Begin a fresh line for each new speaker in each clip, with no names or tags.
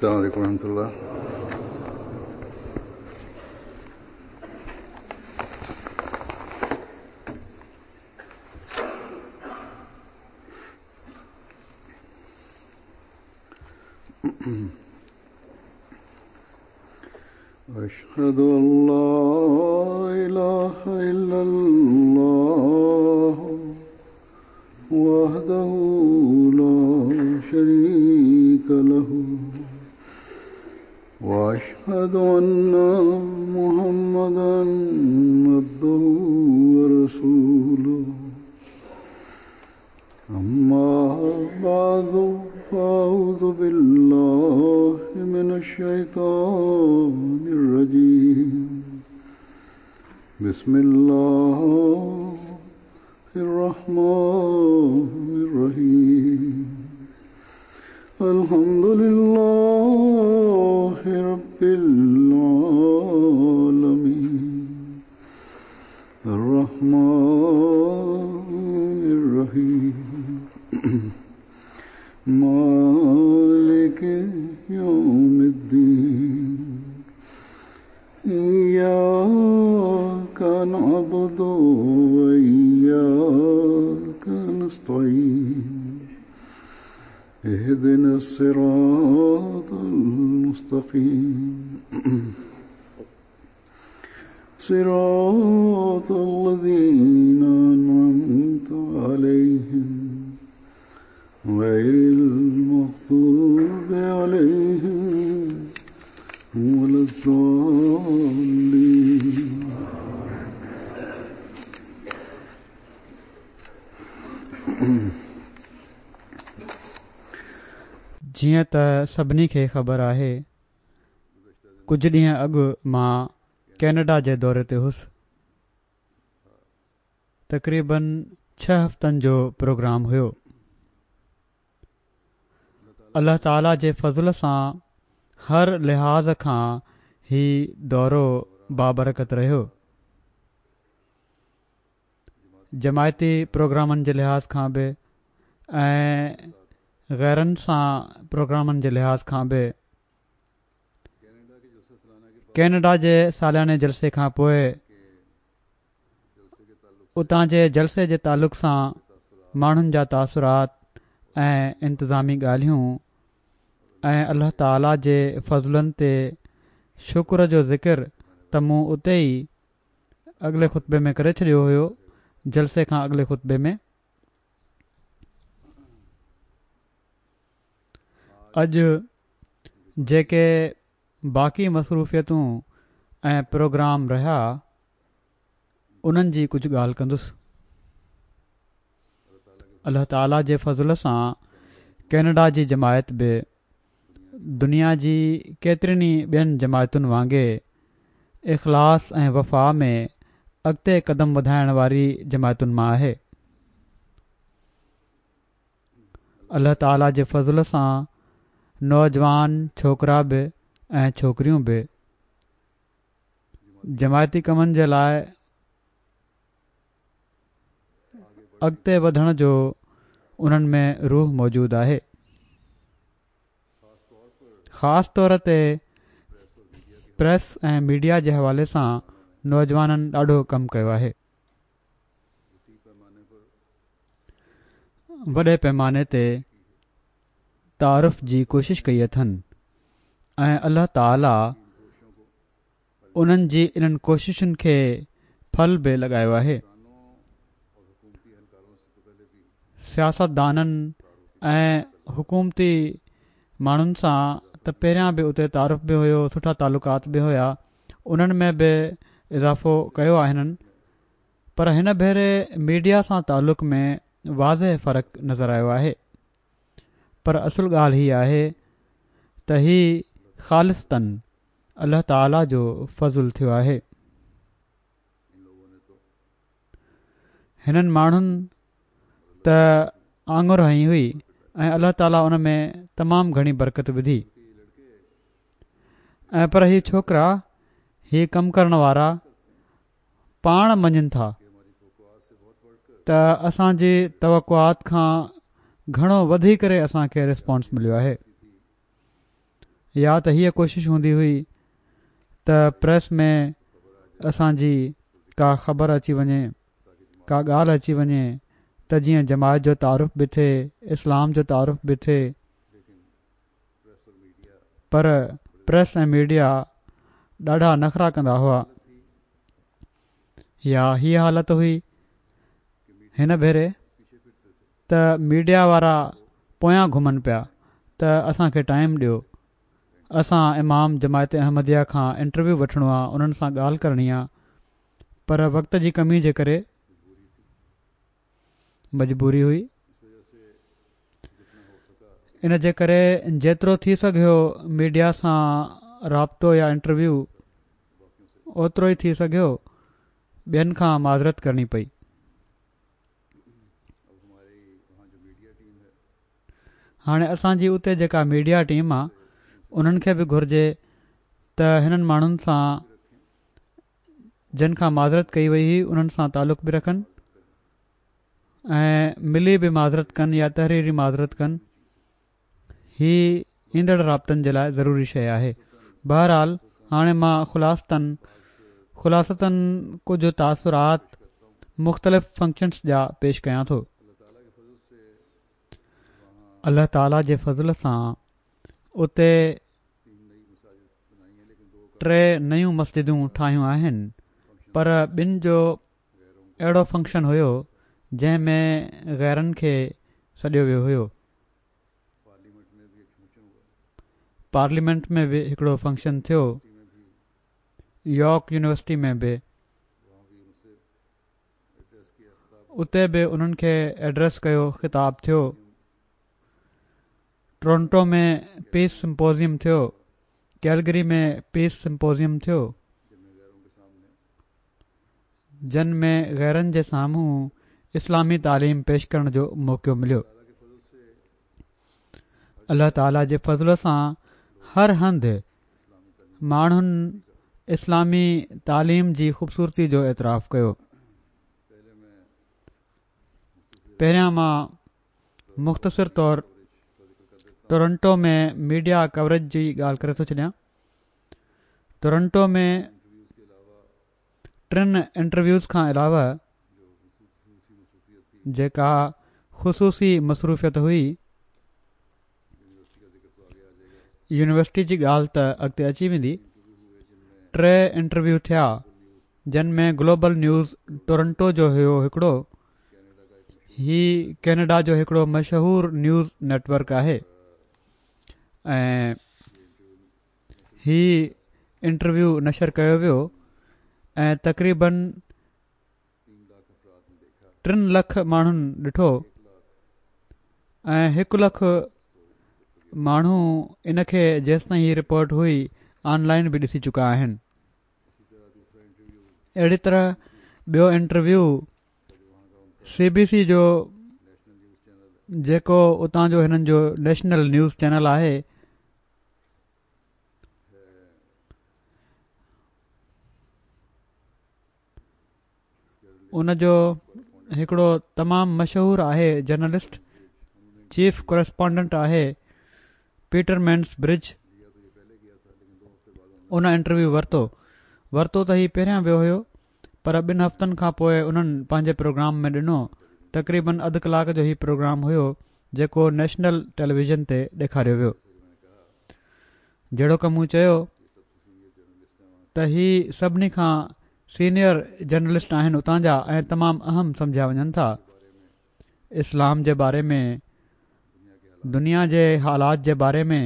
السلام عليڪم ورحمة الله. أشهد أن لا إله إلا الله وحده لا شريك له وأشهد أن محمدا عبده ورسوله أما بعد فأعوذ بالله من الشيطان الرجيم بسم الله الرحمن الرحيم الحمد لله رب العالمين الرحمن الرحيم مالك يوم الدين إياك نعبد وإياك نستعين اهدنا الصراط المستقيم صراط الذين أنعمت عليهم غير المغضوب عليهم ولا الضالين.
جيئن ته سڀني کي خبر آهي، ڪجهه ڏينهن اڳ مان ڪينيڊا جي دوري تي هوس. تقريبن ڇهه هفتن جو پروگرام هيو. الله تعالي جي فضل سان هر لحاظ کان هي دورو بابرڪت رهيو. جماعتي پروگرامن جي لحاظ کان به ۽ غيرن سان پروگرامن جي لحاظ کان به. ڪينيڊا جي سالياني جلسي کان پوء اتان جي جلسي جي تعلق سان ماڻهن جا تاثرات ۽ انتظامي ڳالهيون ۽ الله تعالي جي فضلن تي شڪر جو ذڪر ته مون اتي ئي اڳلي خطبي ۾ ڪري ڇڏيو هيو جلسي کان اڳلي خطبي ۾. اڄ جيڪي باقي مصروفيتون ۽ پروگرام رهيا انهن جي ڪجهه ڳالهه ڪندس. الله تعالي جي فضل سان ڪينيڊا جي جماعت به دنيا جي ڪيترين ئي ٻين جماعتن وانگي اخلاص ۽ وفا ۾ اڳتي قدم وڌائڻ واري جماعتن مان آهي. الله تعالي جي فضل سان نوجوان ڇوڪرا به ۽ ڇوڪريون به جماعتي ڪمن جي لاء اڳتي وڌڻ جو انهن ۾ روح موجود آهي. خاص طور تي پريس ۽ ميڊيا جي حوالي سان نوجوانن ڏاڍو ڪم ڪيو آهي. وڏي پيماني تي تعارف جي ڪوشش ڪئي اٿن ۽ الله تعالي انهن جي انهن ڪوششن کي ڦل به لڳايو آهي. سياستدانن ۽ حڪومتي ماڻهن سان ته پهريان به اتي تعارف به هيو سٺا تعلقات به هيا انهن ۾ به اضافو ڪيو آهي هنن پر هن ڀيري ميڊيا سان تعلق ۾ واضح فرق نظر آيو آهي پر اصل ڳالهه هي آهي ته هي خالصتاً الله تعالي جو فضل ٿيو آهي. هنن ماڻهن ته آڱر هنئي هئي ۽ الله تعالي ان ۾ تمام گهڻي برڪت وڌي ۽ پر هي ڇوڪرا هي ڪم ڪرڻ وارا پاڻ مڃين ٿا ته اسان جي توقعات کان گهڻو وڌي ڪري اسان کي رسپانس مليو آهي. يا ته هيء ڪوشش هوندي هئي ته پريس ۾ اسان جي ڪا خبر اچي وڃي، ڪا ڳالهه اچي وڃي ته جيئن جماعت جو تعارف به ٿئي، اسلام جو تعارف به ٿئي. پر پريس ۽ ميڊيا ڏاڍا نخرا ڪندا هئا. يا هيء حالت هئي هن ڀيري ته ميڊيا وارا پويان گهمن پيا ته اسان کي ٽائيم ڏيو اسان امام جماعت احمديه کان انٽرويو وٺڻو آ انهن سان ڳالهه ڪرڻي آ پر وقت جي ڪمي جي ڪري مجبوري هئي ان جي ڪري جيترو ٿي سگهيو ميڊيا سان رابطو يا انٽرويو اوترو ئي ٿي سگهيو ٻين کان معذرت ڪرڻي پئي. هاڻي اسان جي اتي جيڪا ميڊيا ٽيم آ انهن کي به گهرجي ته هنن ماڻهن سان جن کان معذرت ڪئي وئي هئي انهن سان تعلق به رکن ۽ ملي به معذرت ڪن يا تحريري معذرت ڪن هي ايندڙ رابطن جي لاء ضروري شيء آهي. بهرحال هاڻي مان خلاصتن خلاصتن ڪجهه تاثرات مختلف فنڪشنس جا پيش ڪيان ٿو. الله تعالي جي فضل سان اتي ٽي نيون مسجدون ٺاهيون آهن پر ٻن جو اهڙو فنڪشن هيو جنهن ۾ غيرن کي سڏيو ويو هيو. پارليمينٽ ۾ به هڪڙو فنڪشن ٿيو. يارڪ يونيورسٽي ۾ به. اتي به انهن کي ايڊريس ڪيو خطاب ٿيو. ٽورنٽو ۾ پيس سمپوزيم ٿيو. ڪيلگري ۾ پيس سمپوزيم ٿيو. جن ۾ غيرن جي سامهون اسلامي تعليم پيش ڪرڻ جو موقعو مليو. الله تعالي جي فضل سان هر هنڌ ماڻهن اسلامي تعليم جي خوبصورتي جو اعتراف ڪيو. پهريان مان مختصر طور ٽورنٽو ۾ ميڊيا ڪوريج جي ڳالهه ڪري ٿو ڇڏيان. ٽورنٽو ۾ ٽن انٽرويوز کان علاوه جيڪا خصوصي مصروفيت هئي، يونيورسٽي جي ڳالهه ته اڳتي اچي ويندي، ٽي انٽرويو ٿيا جن ۾ گلوبل نيوز ٽورنٽو جو هيو هڪڙو، هي ڪينيڊا جو هڪڙو مشهور نيوز نيٽ ورڪ آهي ۽ هي انٽرويو نشر ڪيو ويو ۽ تقريبن ٽن لک ماڻهن ڏٺو ۽ هڪ لک ماڻهو ان کي جيستائين هي رپورٽ هئي آن لائن به ڏسي چڪا آهن اهڙي طرح ٻيو انٽرويو سي بي سي جو جيڪو اتان جو هنن جو نيشنل نيوز چينل آهي ان جو هڪڙو تمام مشهور آهي جرنلسٽ چيف ڪورسپانڊنٽ آهي پيٽر مينس برج ان انٽرويو ورتو ورتو ته هي پهريان ويو هيو پر ٻن هفتن کان پوء انهن پنهنجي پروگرام ۾ ڏنو تقريبن اڌ ڪلاڪ جو هي پروگرام هيو جيڪو نيشنل ٽيليويزن تي ڏيکاريو ويو. جهڙوڪ مون چيو ته هي سڀني کان سينيئر جرنلسٽ آهن اتان جا ۽ تمام اهم سمجهيا وڃن ٿا. اسلام جي باري ۾ دنيا جي حالات جي باري ۾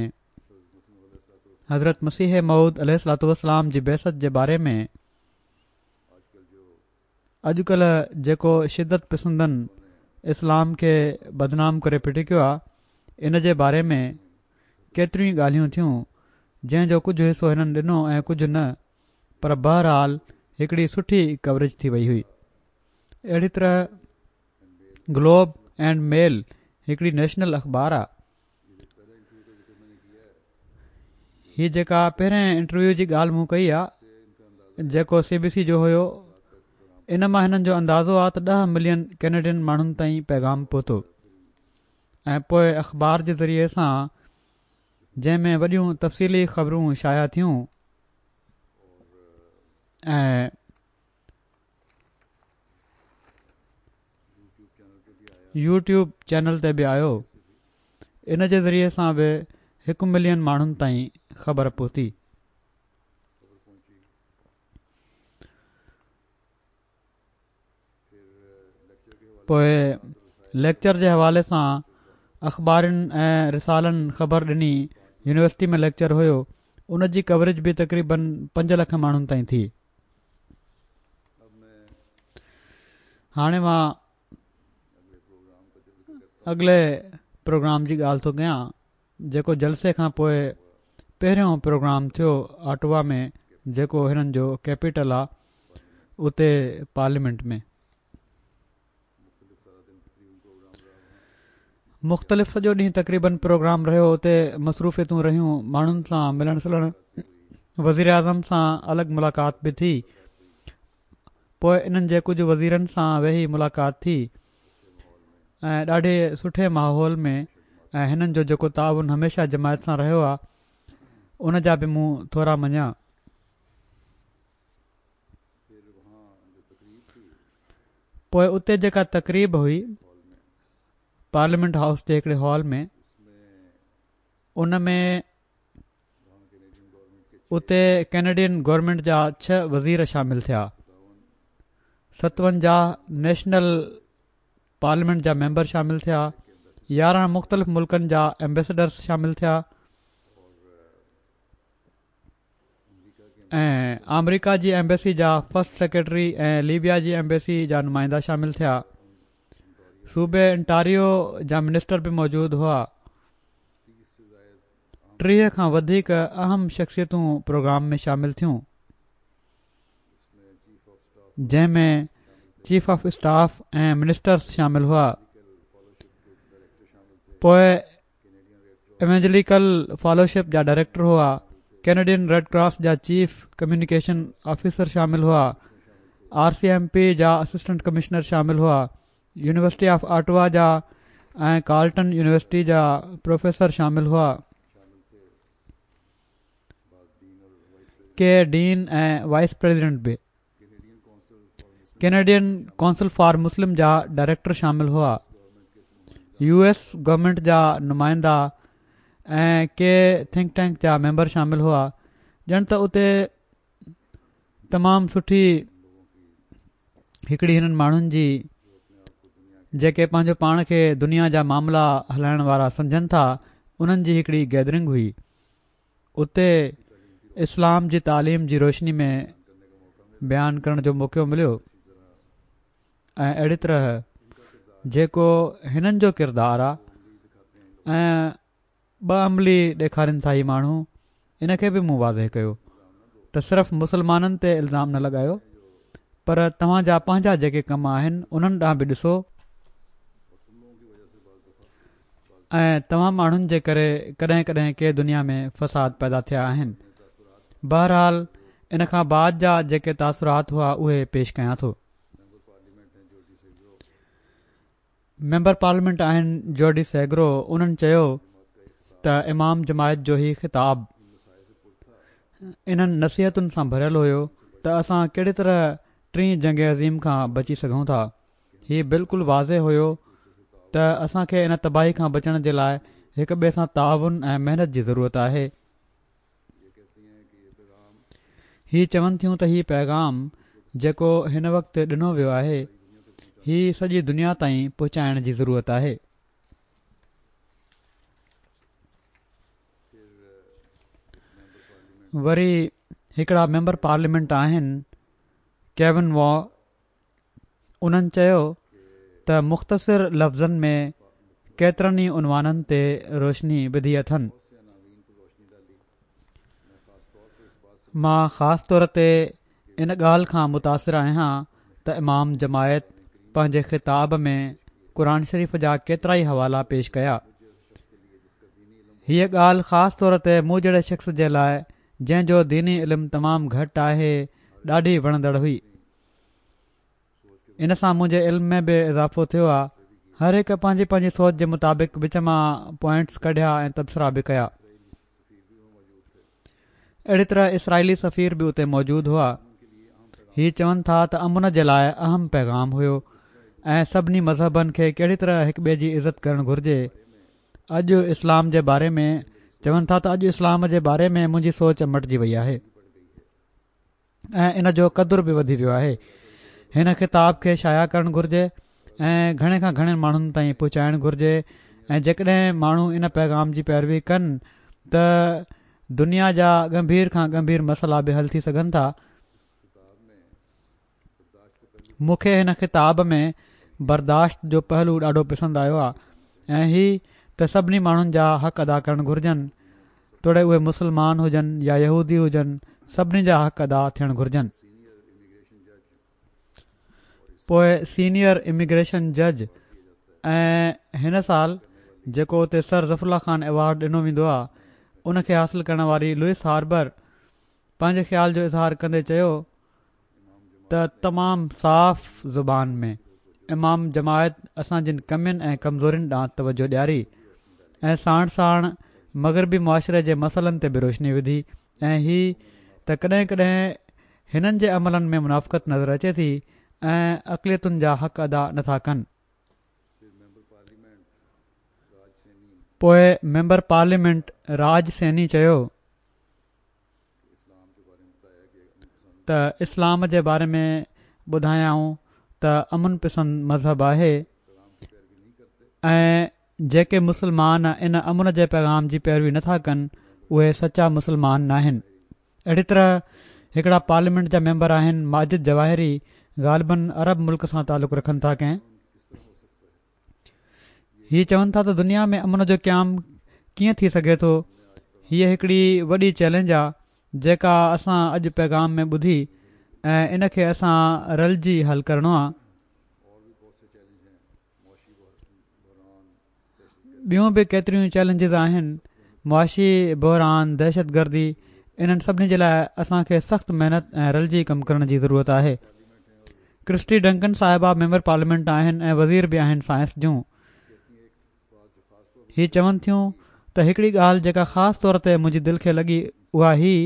حضرت مسيح موعود عليه الصلوة والسلام جي بعثت جي باري ۾ اڄڪلهه جيڪو شدت پسندن اسلام کي بدنام ڪري پٽڪيو آ ان جي باري ۾ ڪيتريون ئي ڳالهيون ٿيون جنهن جو ڪجهه حصو هنن ڏنو ۽ ڪجهه نه پر بهرحال هڪڙي سٺي ڪوريج ٿي وئي هئي اهڙي طرح گلوب اينڊ ميل هڪڙي نيشنل اخبار آ هي جيڪا پهرين انٽرويو جي ڳالهه مون ڪئي آ جيڪو سي بي سي جو هيو ان مان هنن جو اندازو آ ته 10 ملين ڪينيڊين ماڻهن تائين پيغام پهتو ۽ پوء اخبار جي ذريعي سان جنهن ۾ وڏيون تفصيلي خبرون شايع ٿيون ۽ يوٽيوب چينل تي به آيو ان جي ذريعي سان به هڪ ملين ماڻهن تائين خبر پهتي. پوء ليڪچر جي حوالي سان اخبارن ۽ رسالن خبر ڏني يونيورسٽي ۾ ليڪچر هيو ان جي ڪوريج به تقريبن 5 لک ماڻهن تائين ٿي. هاڻي مان اڳلي پروگرام جي ڳالهه ٿو ڪيان جيڪو جلسي کان پوء پهريون پروگرام ٿيو آٽوا ۾ جيڪو هنن جو ڪيپيٽل آ اتي پارليامينٽ ۾. مختلف سڄو ڏينهن تقريبن پروگرام رهيو اتي مصروفيتون رهيون ماڻهن سان ملڻ سلڻ وزيراعظم سان الڳ ملاقات به ٿي پوء انهن جي ڪجهه وزيرن سان ويهي ملاقات ٿي ۽ ڏاڍي سٺي ماحول ۾ ۽ هنن جو جيڪو تعاون هميشه جماعت سان رهيو آهي ان جا به مون ٿورا مڃيا. پوء اتي جيڪا تقريب هئي پارليامينٽ هائوس جي هڪڙي هال ۾ ان ۾ اتي ڪينيڊين گورنمينٽ جا ڇهه وزير شامل ٿيا. 57 نيشنل پارليامينٽ جا ميمبر شامل ٿيا. 11 مختلف ملڪن جا ايمبيسڊرز شامل ٿيا ۽ آمريڪا جي ايمبيسي جا فرسٽ سيڪريٽري ۽ ليبيا جي ايمبيسي جا نمائندا شامل ٿيا. صوبي انٽاريو جا منسٽر به موجود هئا. 30 کان وڌيڪ اهم شخصيتون پروگرام ۾ شامل ٿيون جنهن ۾ چيف آف اسٽاف ۽ منسٽرز شامل هئا پوء ايونجليڪل فيلوشپ جا ڊائريڪٽر هئا ڪينيڊين ريڊ ڪراس جا چيف ڪميونيڪيشن آفيسر شامل هئا آر سي ايم پي جا اسسٽنٽ ڪمشنر شامل هئا يونيورسٽي آف آٽوا جا ۽ ڪارلٽن يونيورسٽي جا پروفيسر شامل هئا. ڪي ڊين ۽ وائيس پريزيڊنٽ به. ڪينيڊين ڪونسل فار مسلم جا ڊائريڪٽر شامل هئا. يو ايس گورنمينٽ جا نمائندا ۽ ڪي ٿنڪ ٽينڪ جا ميمبر شامل هئا. ڄڻ ته اتي تمام سٺي هڪڙي هنن ماڻهن جي جيڪي پنهنجو پاڻ کي دنيا جا معاملا هلائڻ وارا سمجهن ٿا انهن جي هڪڙي گيدرنگ هئي اتي اسلام جي تعليم جي روشني ۾ بيان ڪرڻ جو موقعو مليو ۽ اهڙي طرح جيڪو هنن جو ڪردار آ ۽ ٻه عملي ڏيکارين ٿا هي ماڻهو ان کي به مون واضح ڪيو ته صرف مسلمانن تي الزام نه لڳايو پر توهان جا پنهنجا جيڪي ڪم آهن انهن ڏانهن به ڏسو ۽ توهان ماڻهن جي ڪري ڪڏهن ڪڏهن ڪي دنيا ۾ فساد پيدا ٿيا آهن بهرحال ان کان بعد جا جيڪي تاثرات هئا اهي پيش ڪيان ٿو. ميمبر پارليامينٽ آهن جوڊي سيگرو انهن چيو ته امام جماعت جو هي خطاب انهن نصيحتن سان ڀريل هيو ته اسان ڪهڙي طرح ٽين جنگ عظيم کان بچي سگهون ٿا هي بلڪل واضح هيو ته اسان کي ان تباهي کان بچڻ جي لاء هڪ ٻئي سان تعاون ۽ محنت جي ضرورت آهي هي چون ٿيون ته هي پيغام جيڪو هن وقت ڏنو ويو آهي هي سڄي دنيا تائين پهچائڻ جي ضرورت آهي. وري هڪڙا ميمبر پارليامينٽ آهن ڪيون وا انهن چيو ته مختصر لفظن ۾ ڪيترن ئي عنوانن تي روشني وڌي اٿن. مان خاص طور تي ان ڳالهه کان متاثر آهيان ته امام جماعت پنهنجي خطاب ۾ قرآن شريف جا ڪيترائي حوالا پيش ڪيا. هيء ڳالهه خاص طور تي مون جهڙي شخص جي لاء جنهن جو ديني علم تمام گهٽ آهي ڏاڍي وڻندڙ هئي. ان سان منهنجي علم ۾ به اضافو ٿيو آ. هر هڪ پنهنجي پنهنجي سوچ جي مطابق وچ مان پوائنٽس ڪڍيا ۽ تبصرا به ڪيا. اهڙي طرح اسرائيلي سفير به اتي موجود هئا. هي چون ٿا ته امن جي لاء اهم پيغام هيو ۽ سڀني مذهبن کي ڪهڙي طرح هڪ ٻئي جي عزت ڪرڻ گهرجي. اڄ اسلام جي باري ۾ چون ٿا ته اڄ اسلام جي باري ۾ منهنجي سوچ مٽجي وئي آهي ۽ ان جو قدر به وڌي ويو آهي. هن خطاب کي شايع ڪرڻ گهرجي ۽ گهڻي کان گهڻن ماڻهن تائين پهچائڻ گهرجي ۽ جيڪڏهن ماڻهو ان پيغام جي پيروي ڪن ته دنيا جا ڳنڀير کان ڳنڀير مسئلا به حل ٿي سگهن ٿا. مون کي هن خطاب ۾ برداشت جو پهلو ڏاڍو پسند آيو آهي ۽ هي ته سڀني ماڻهن جا حق ادا ڪرڻ گهرجن توڙي اهي مسلمان هجن يا يهودي هجن سڀني جا حق ادا ٿيڻ گهرجن. پوء سينيئر اميگريشن جج ۽ هن سال جيڪو اتي سر ظفر الله خان ايوارڊ ڏنو ويندو آهي ان کي حاصل ڪرڻ واري لوئس هاربر پنهنجي خيال جو اظهار ڪندي چيو ته تمام صاف زبان ۾ امام جماعت اسان جن ڪمين ۽ ڪمزورين ڏانهن توجهه ڏياري ۽ ساڻ ساڻ مغربي معاشري جي مسئلن تي به روشني وڌي ۽ هي ته ڪڏهن ڪڏهن هنن جي عملن ۾ منافقت نظر اچي ٿي ۽ اقليتن جا حق ادا نٿا ڪن. پوء ميمبر پارليامينٽ راج سيني چيو. ته اسلام جي باري ۾ ٻڌايائون ته امن پسند مذهب آهي ۽ جيڪي مسلمان ان امن جي پيغام جي پيروي نٿا ڪن اهي سچا مسلمان ناهن. اهڙي طرح هڪڙا پارليامينٽ جا ميمبر آهن ماجد جواهري غالباً عرب ملڪ سان تعلق رکن ٿا ڪنهن هي چون ٿا ته دنيا ۾ امن جو قيام ڪيئن ٿي سگهي ٿو؟ هيء هڪڙي وڏي چئلينج آ جيڪا اسان اڄ پيغام ۾ ٻڌي ۽ ان کي اسان رلجي حل ڪرڻو آ. ٻيون به ڪيتريون چئلينجز آهن، معاشي بحران، دهشتگردي، انهن سڀني جي لاء اسان کي سخت محنت ۽ رلجي ڪم ڪرڻ جي ضرورت آهي. ڪرسٽي ڊنڪن صاحبه ميمبر پارليامينٽ آهن ۽ وزير به آهن سائنس جون. هي چون ٿيون ته هڪڙي ڳالهه جيڪا خاص طور تي منهنجي دل کي لڳي اها هي،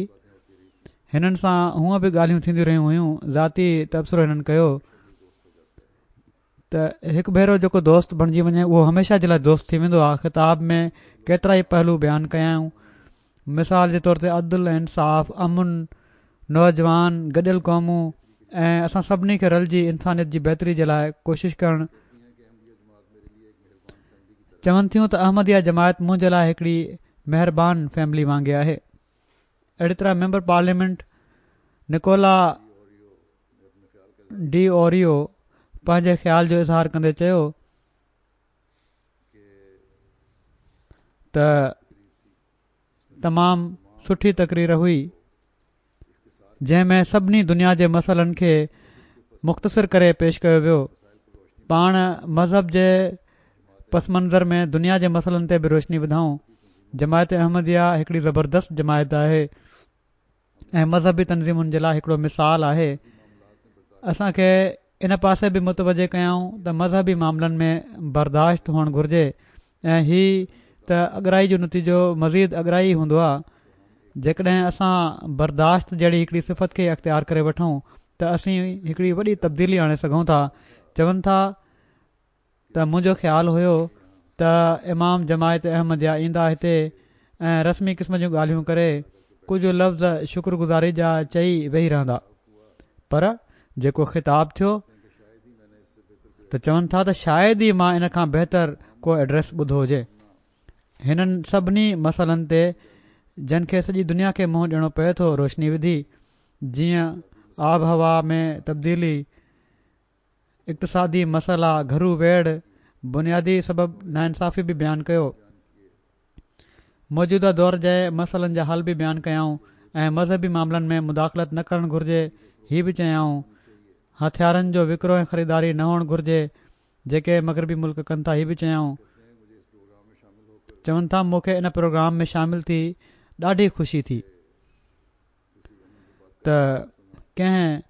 هنن سان هونء به ڳالهيون ٿينديون رهيون هيون، ذاتي تبصرو هنن ڪيو ته هڪ ڀيرو جيڪو دوست بڻجي وڃي اهو هميشه جي لاء دوست ٿي ويندو آهي خطاب ۾ ڪيترائي پهلو بيان ڪيائون مثال جي طور تي عدل ۽ انصاف امن نوجوان گڏيل قومون ۽ اسان سڀني کي رلجي انسانيت جي بهتري جي لاء ڪوشش ڪرڻ چون ٿيون ته احمديه جماعت منهنجي لاء هڪڙي مهربان فيملي وانگي آهي اهڙي طرح ميمبر پارليامينٽ نڪولا ڊي اوريو پنهنجي خيال جو اظهار ڪندي چيو ته تمام سٺي تقرير هئي جنهن ۾ سڀني دنيا جي مسئلن کي مختصر ڪري پيش ڪيو ويو پاڻ مذهب جي پس منظر ۾ دنيا جي مسئلن تي به روشني وڌائون جماعت احمديه هڪڙي زبردست جماعت آهي ۽ مذهبي تنظيمن جي لاء هڪڙو مثال آهي اسان کي ان پاسي به متوجه ڪيائون ته مذهبي معاملن ۾ برداشت هئڻ گهرجي ۽ هي ته اڳرائي جو نتيجو مزيد اڳرائي ئي هوندو آهي جيڪڏهن اسان برداشت جهڙي هڪڙي صفت کي اختيار ڪري وٺون ته اسين هڪڙي وڏي تبديلي آڻي سگهون ٿا چون ٿا ته منهنجو خيال هيو ته امام جماعت احمديه ايندا هتي ۽ رسمي قسم جون ڳالهيون ڪري ڪجهه لفظ شڪر گذاري جا چئي ويهي رهندا پر جيڪو خطاب ٿيو ته چون ٿا ته شايد ئي مان ان کان بهتر ڪو ايڊريس ٻڌو هجي هنن سڀني مسئلن تي جن کي سڄي دنيا کي منهن ڏيڻو پئي ٿو روشني وڌي جيئن آبهوا ۾ تبديلي اقتصادي مسئلا، گهرو ويڙهه، بنيادي سبب ناانصافي به بيان ڪيو. موجوده دور جي مسئلن جا حل به بيان ڪيائون ۽ مذهبي معاملن ۾ مداخلت نه ڪرڻ گهرجي هي به چيائون. هٿيارن جو وڪرو ۽ خريداري نه هئڻ گهرجي جيڪي مغربي ملڪ ڪن ٿا هي به چيائون. چون ٿا مون کي ان پروگرام ۾ شامل ٿي ڏاڍي خوشي ٿي. ته ڪنهن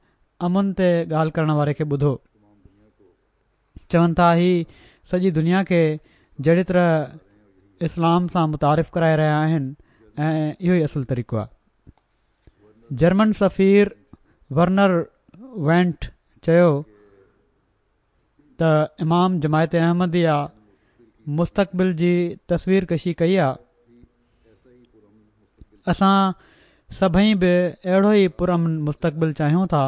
امن تي ڳالهه ڪرڻ واري کي ٻڌو. چون ٿا هي سڄي دنيا کي جهڙي طرح اسلام سان متعارف ڪرائي رهيا آهن ۽ اهو ئي اصل طريقو آهي. جرمن سفير ورنر وينٽ چيو ته امام جماعت احمديه مستقبل جي تصوير ڪشي ڪئي آ، اسان سڀئي به اهڙو ئي پرامن مستقبل چاهيون ٿا.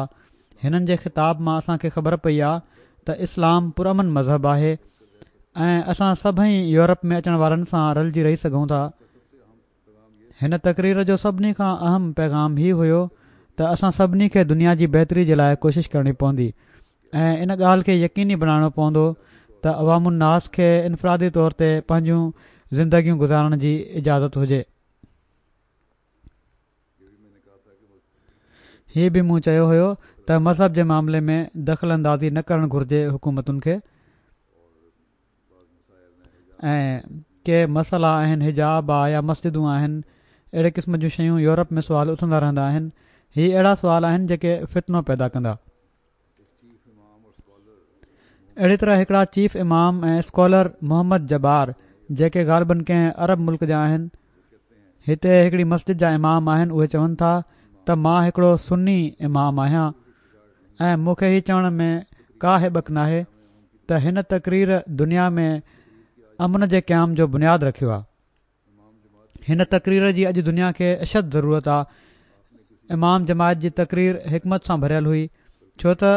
هنن جي خطاب مان اسان کي خبر پئي آ ته اسلام پرامن مذهب آهي ۽ اسان سڀئي يورپ ۾ اچڻ وارن سان رلجي رهي سگهون ٿا. هن تقرير جو سڀني کان اهم پيغام هي هيو ته اسان سڀني کي دنيا جي بهتري جي لاء ڪوشش ڪرڻي پوندي ۽ ان ڳالهه کي يقيني بڻائڻو پوندو ته عوام الناس کي انفرادي طور تي پنهنجون زندگيون گذارڻ جي اجازت هجي. هي به مون چيو هيو ته مذهب جي معاملي ۾ دخل اندازي نه ڪرڻ گهرجي حڪومتن کي. ۽ ڪي مسئلا آهن حجاب آ يا مسجدون آهن اهڙي قسم جون شيون يورپ ۾ سوال اٿندا رهندا آهن هي اهڙا سوال آهن جيڪي فتنو پيدا ڪندا. اهڙي طرح هڪڙا چيف امام ۽ اسڪالر محمد جبار جيڪي غالبن ڪنهن عرب ملڪ جا آهن هتي هڪڙي مسجد جا امام آهن اهي چون ٿا ته مان هڪڙو سني امام آهيان ۽ مون کي هي چوڻ ۾ ڪا هٻڪ ناهي ته هن تقرير دنيا ۾ امن جي قيام جو بنياد رکيو آهي. هن تقرير جي اڄ دنيا کي اشد ضرورت آهي. امام جماعت جي تقرير حڪمت سان ڀريل هئي ڇو ته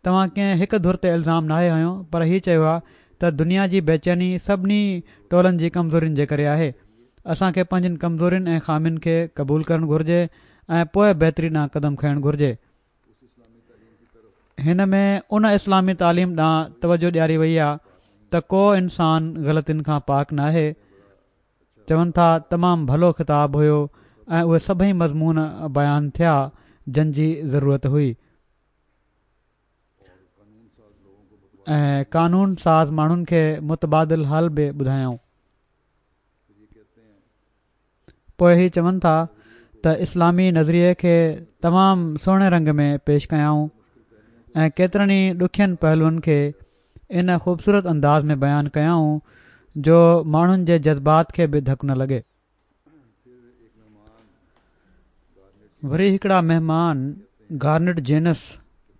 توهان ڪنهن هڪ ڌر تي الزام ناهي هنيو پر هي چيو آهي ته دنيا جي بيچيني سڀني ٽولن جي ڪمزورين جي ڪري آهي. اسان کي پنهنجين ڪمزورين ۽ خامين کي قبول ڪرڻ گهرجي ۽ پوء بهتري ڏانهن قدم کڻڻ گهرجي. هن ۾ ان اسلامي تعليم ڏانهن توجه ڏياري وئي آهي ته ڪو انسان غلطين کان پاڪ ناهي. چون ٿا تمام ڀلو خطاب هيو ۽ اهي سڀئي مضمون بيان ٿيا جن جي ضرورت هئي ۽ قانون ساز ماڻهن کي متبادل حل به ٻڌايائون. پوء هي چون ٿا ته اسلامي نظريي کي تمام سهڻي رنگ ۾ پيش ڪيائون ۽ ڪيترن ئي ڏکين پهلوئن کي ان خوبصورت انداز ۾ بيان ڪيائون جو ماڻهن جي جذبات کي به ڌڪ نه لڳي. وري هڪڙا مهمان گارنٽ جينس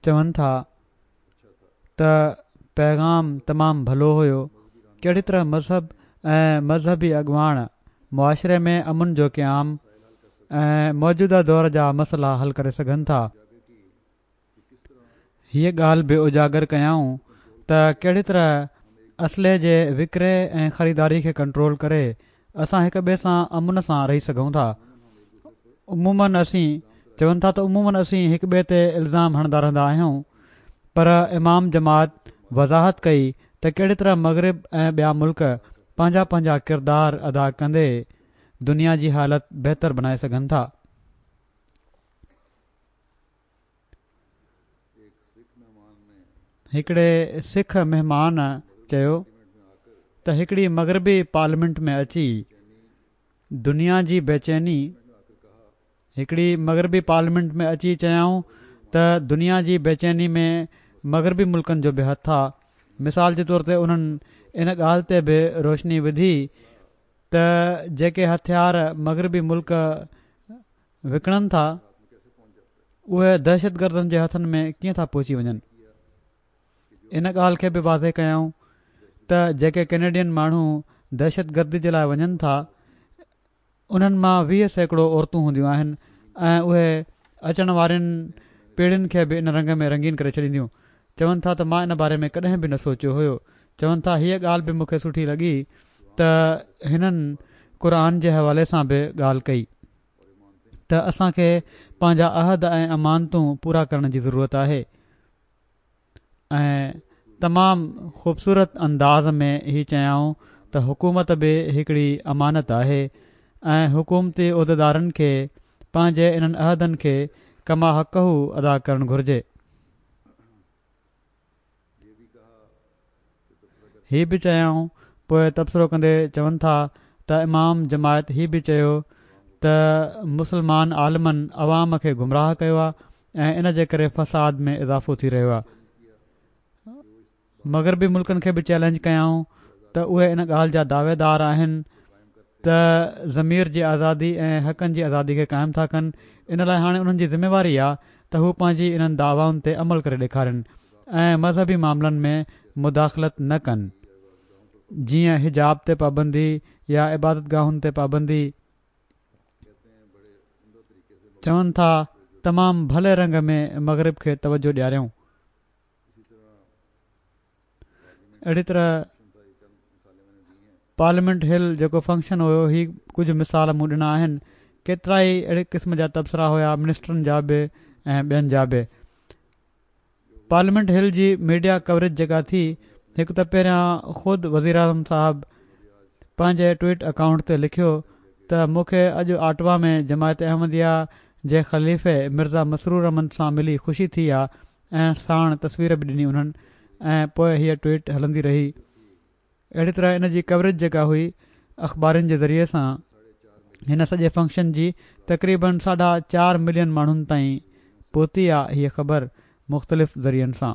چون ٿا ته پيغام تمام ڀلو هيو، ڪهڙي طرح مذهب ۽ مذهبي اڳواڻ معاشري ۾ امن جو قيام ۽ موجوده دور جا مسئلا حل ڪري سگهن ٿا. هيء ڳالهه به اجاگر ڪيائون ته ڪهڙي طرح اسلحي جي وڪري ۽ خريداري کي ڪنٽرول ڪري اسان هڪ ٻئي سان امن سان رهي سگهون ٿا. عموماً اسين، چون ٿا ته عموماً اسين هڪ ٻئي تي الزام هڻندا رهندا آهيون پر امام جماعت وضاحت ڪئي ته ڪهڙي طرح مغرب ۽ ٻيا ملڪ پنهنجا پنهنجا ڪردار ادا ڪندي دنيا جي حالت بهتر بنائي سگهن ٿا. هڪڙي سک مهمان چيو ته هڪڙي مغربي پارليامينٽ ۾ اچي دنيا جي بيچيني هڪڙي مغربي پارليامينٽ ۾ اچي چيائون ته دنيا جي بيچيني ۾ مغربي ملڪن جو به هٿ آ مثال جي طور تي انهن ان ڳالهه تي به روشني وڌي ته جيڪي هٿيار مغربي ملڪ وڪڻن ٿا اهي دهشتگردن جي هٿن ۾ ڪيئن ٿا پهچي وڃن ان ڳالهه کي به واضح ڪيائون ته جيڪي ڪينيڊين ماڻهو دهشتگردي جي لاء وڃن ٿا انهن مان 20% عورتون هونديون آهن ۽ اهي اچڻ وارين پيڙهين کي به ان رنگ ۾ رنگين ڪري ڇڏينديون چون ٿا ته مان ان باري ۾ ڪڏهن به نه سوچيو هيو چون ٿا هيء ڳالهه به مون کي سٺي لڳي ته هنن قرآن جي حوالي سان به ڳالهه ڪئي ته اسان کي پنهنجا عهد ۽ امانتون پورا ڪرڻ جي ضرورت آهي ۽ تمام خوبصورت انداز ۾ هي چيائون ته حڪومت به هڪڙي امانت آهي ۽ حڪومتي عهديدارن کي پنهنجي انهن عهدن کي ڪما حقه ادا ڪرڻ گهرجي. هي به چيائون، پوء تبصرو ڪندي چون ٿا ته امام جماعت هي به چيو ته مسلمان عالمن عوام کي گمراهه ڪيو آهي ۽ ان جي ڪري فساد ۾ اضافو ٿي رهيو آهي. مغربي ملڪن کي به چئلينج ڪيائون ته اهي ان ڳالهه جا دعويدار آهن. ته ضمير جي آزادي ۽ حقن جي آزادي کي قائم ٿا ڪن ان لاء هاڻي انهن جي ذميواري آ ته هو پنهنجي انهن دعوائن تي عمل ڪري ڏيکارين ۽ مذهبي معاملن ۾ مداخلت نه ڪن جيئن حجاب تي پابندي يا عبادتگاهن تي پابندي. چون ٿا تمام ڀلي رنگ ۾ مغرب کي توجه ڏياريائون. اهڙي طرح پارليامينٽ هل جيڪو فنڪشن هيو هي ڪجهه مثال مون ڏنا آهن ڪيترائي اهڙي قسم جا تبصرا هيا منسٽرن جا به ۽ ٻين جا به پارليامينٽ هل جي ميڊيا ڪوريج جيڪا ٿي هڪ ته پهريان خود وزيراعظم صاحب پنهنجي ٽوئٽ اڪائونٽ تي لکيو ته مون کي اڄ آٽوا ۾ جماعت احمديه جي خليفي مرزا مسرور احمد سان ملي خوشي ٿي آ ۽ ساڻ تصوير به ڏني انهن ۽ پوء هيء ٽوئيٽ هلندي رهي. اهڙي طرح ان جي ڪوريج جيڪا هئي اخبارن جي ذريعي سان هن سڄي فنڪشن جي تقريبن ساڍا چار ملين ماڻهن تائين پهتي آ هيء خبر مختلف ذريعن سان.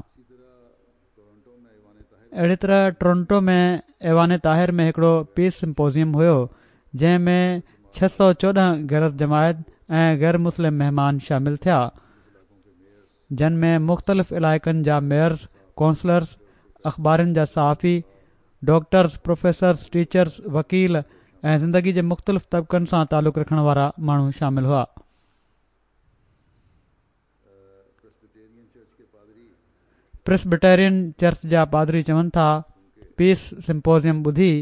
اهڙي طرح ٽورنٽو ۾ ايوان طاهر ۾ هڪڙو پيس سمپوزيم هيو جنهن ۾ 614 غير از جماعت ۽ غير مسلم مهمان شامل ٿيا. جن ۾ مختلف علائقن جا ميئرز، ڪونسلرز، اخبارن جا صحافي، ڊاڪٽرز، پروفيسرز، ٽيچرز، وڪيل ۽ زندگي جي مختلف طبقن سان تعلق رکڻ وارا ماڻهو شامل هئا. پريسبٽيرين چرچ جا پادري چون ٿا، پيس سمپوزيم ٻڌي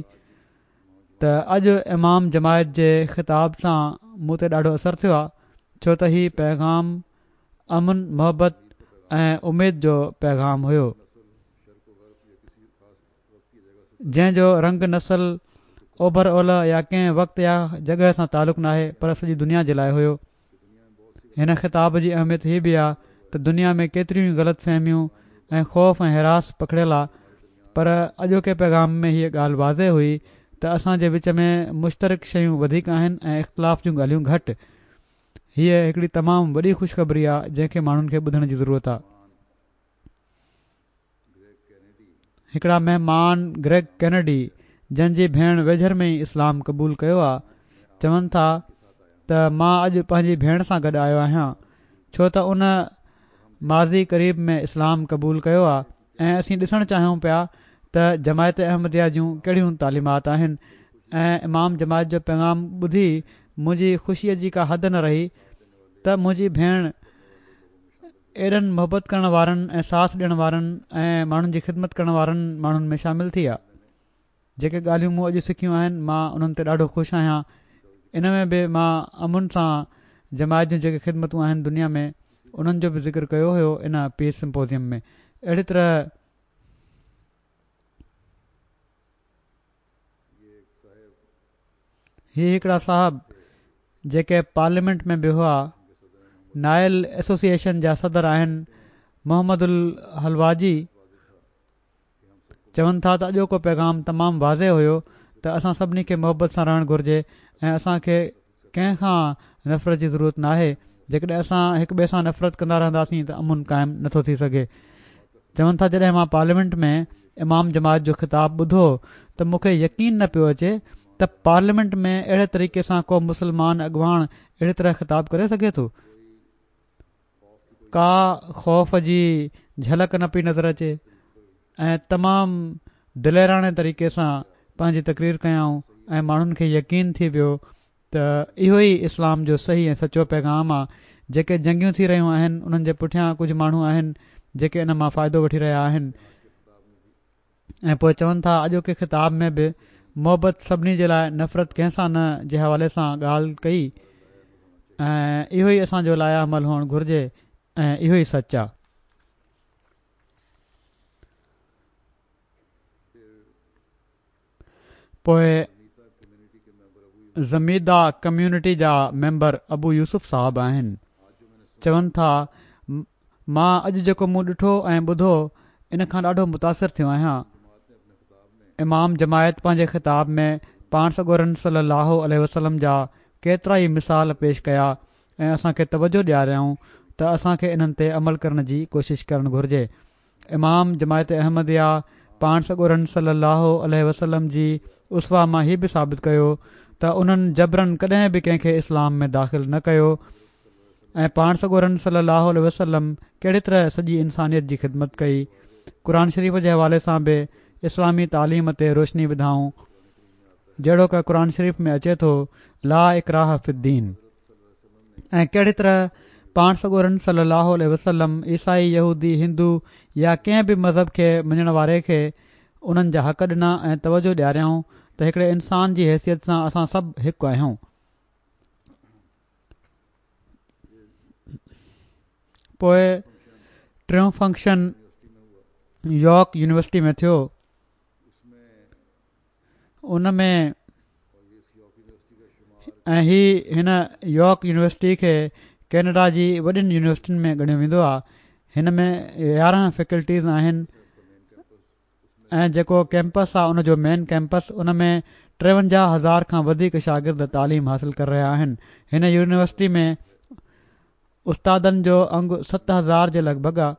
ته اڄ امام جماعت جي خطاب سان مون تي ڏاڍو اثر ٿيو آهي ڇو ته هي پيغام امن، محبت ۽ اميد جو پيغام هيو. جنهن جو رنگ نسل، اوڀر اولهه يا ڪنهن وقت يا جڳهه سان تعلق ناهي پر سڄي دنيا جي لاء هيو. هن خطاب جي اهميت هي به آ ته دنيا ۾ ڪيتريون ئي غلط فهميون ۽ خوف ۽ هراس پکڙيل آ پر اڄوڪي پيغام ۾ هيء ڳالهه واضح هئي ته اسان جي وچ ۾ مشترڪ شيون وڌيڪ آهن ۽ اختلاف جون ڳالهيون گهٽ. هيء هڪڙي تمام وڏي خوشخبري آ جنهن کي ماڻهن کي ٻڌڻ جي ضرورت آ. هڪڙا مهمان گريگ ڪينيڊي جن جي ڀيڻ ويجهر ۾ ئي اسلام قبول ڪيو آ چون ٿا ته مان اڄ پنهنجي ڀيڻ سان گڏ آيو آهيان ڇو ته ان ماضي قريب ۾ اسلام قبول ڪيو آ ۽ اسين ڏسڻ چاهيون پيا ته جماعت احمديه جون ڪهڙيون تعليمات آهن ۽ امام جماعت جو پيغام ٻڌي منهنجي خوشيء جي ڪا حد نه رهي ته منهنجي ڀيڻ ايڏن محبت ڪرڻ وارن ۽ ساٿ ڏيڻ وارن ۽ ماڻهن جي خدمت ڪرڻ وارن ماڻهن ۾ شامل ٿي آ. جيڪي ڳالهيون مون اڄ سکيون آهن مان انهن تي ڏاڍو خوش آهيان ان ۾ به مان امن سان جماعت جون جيڪي خدمتون آهن دنيا ۾ انهن جو به ذڪر ڪيو هيو ان پيس سمپوزيم ۾ اهڙي طرح هي هڪڙا صاحب جيڪي پارليامينٽ ۾ به هئا نائل ايسوسيئيشن جا صدر آهن محمد الحلواجي چون ٿا ته اڄوڪو پيغام تمام واضح هيو ته اسان سڀني کي محبت سان رهڻ گهرجي ۽ اسان کي ڪنهن کان نفرت جي ضرورت ناهي جيڪڏهن اسان هڪ ٻئي سان نفرت ڪندا رهنداسين ته امن قائم نٿو ٿي سگهي چون ٿا جڏهن مان پارليامينٽ ۾ امام جماعت جو خطاب ٻڌو ته مون کي يقين نه پيو اچي ته پارليامينٽ ۾ اهڙي طريقي سان ڪو مسلمان اڳواڻ اهڙي طرح خطاب ڪري سگهي ٿو ڪا خوف جي جهلڪ نه پئي نظر اچي ۽ تمام دليراڻي طريقي سان پنهنجي تقرير ڪيائون ۽ ماڻهن کي يقين ٿي ويو ته اهو ئي اسلام جو صحيح ۽ سچو پيغام آ جيڪي جنگيون ٿي رهيون آهن انهن جي پٺيان ڪجهه ماڻهو آهن جيڪي ان مان فائدو وٺي رهيا آهن. ۽ پوء چون ٿا اڄوڪي خطاب ۾ به محبت سڀني جي لاء نفرت ڪنهن سان نه جي حوالي سان ڳالهه ڪئي ۽ اهو ئي اسان جو لائحه عمل هئڻ گهرجي ۽ اهو ئي سچ آ. پوء زميده ڪميونٽي جا ميمبر ابو يوسف صاحب آهن چون ٿا مان اڄ جيڪو مون ڏٺو ۽ ٻڌو ان کان ڏاڍو متاثر ٿيو آهيان امام جماعت پنهنجي خطاب ۾ پاڻ سڳورن صلي الله عليه وسلم جا ڪيترا ئي مثال پيش ڪيا ۽ اسان کي توجه ڏياريائون ته اسان کي انهن تي عمل ڪرڻ جي ڪوشش ڪرڻ گهرجي امام جماعت احمديه پاڻ سڳورن صلّي اللّٰه عليه وسلّم جي اسوه مان هي به ثابت ڪيو ته انهن جبراً ڪڏهن به ڪنهن کي اسلام ۾ داخل نه ڪيو ۽ پاڻ سڳورن صلي الله عليه وسلم ڪهڙي طرح سڄي انسانيت جي خدمت ڪئي. قرآن شريف جي حوالي سان به اسلامي تعليم تي روشني وڌائون جهڙوڪ قرآن شريف ۾ اچي ٿو لا اڪراه في الدين. ۽ ڪهڙي طرح پاڻ سڳورن صلي الله عليه وسلم عيسائي، يهودي، هندو يا ڪنهن به مذهب کي مڃڻ واري کي انهن جا حق ڏنا ۽ توجه ڏياريائون ته هڪڙي انسان جي حيثيت سان اسان سڀ هڪ آهيون. پوء ٽيون فنڪشن يارڪ يونيورسٽي ۾ ٿيو. ان ۾ ۽ هي هن يارڪ يونيورسٽي کي ڪينيڊا جي وڏين يونيورسٽين ۾ ڳڻيو ويندو آهي هن ۾ 11 فيڪلٽيز آهن ۽ جيڪو ڪيمپس آهي ان جو مين ڪيمپس ان ۾ 53000 کان وڌيڪ شاگرد تعليم حاصل ڪري رهيا آهن هن يونيورسٽي ۾ استادن جو انگ 7000 جي لڳ ڀڳ آ.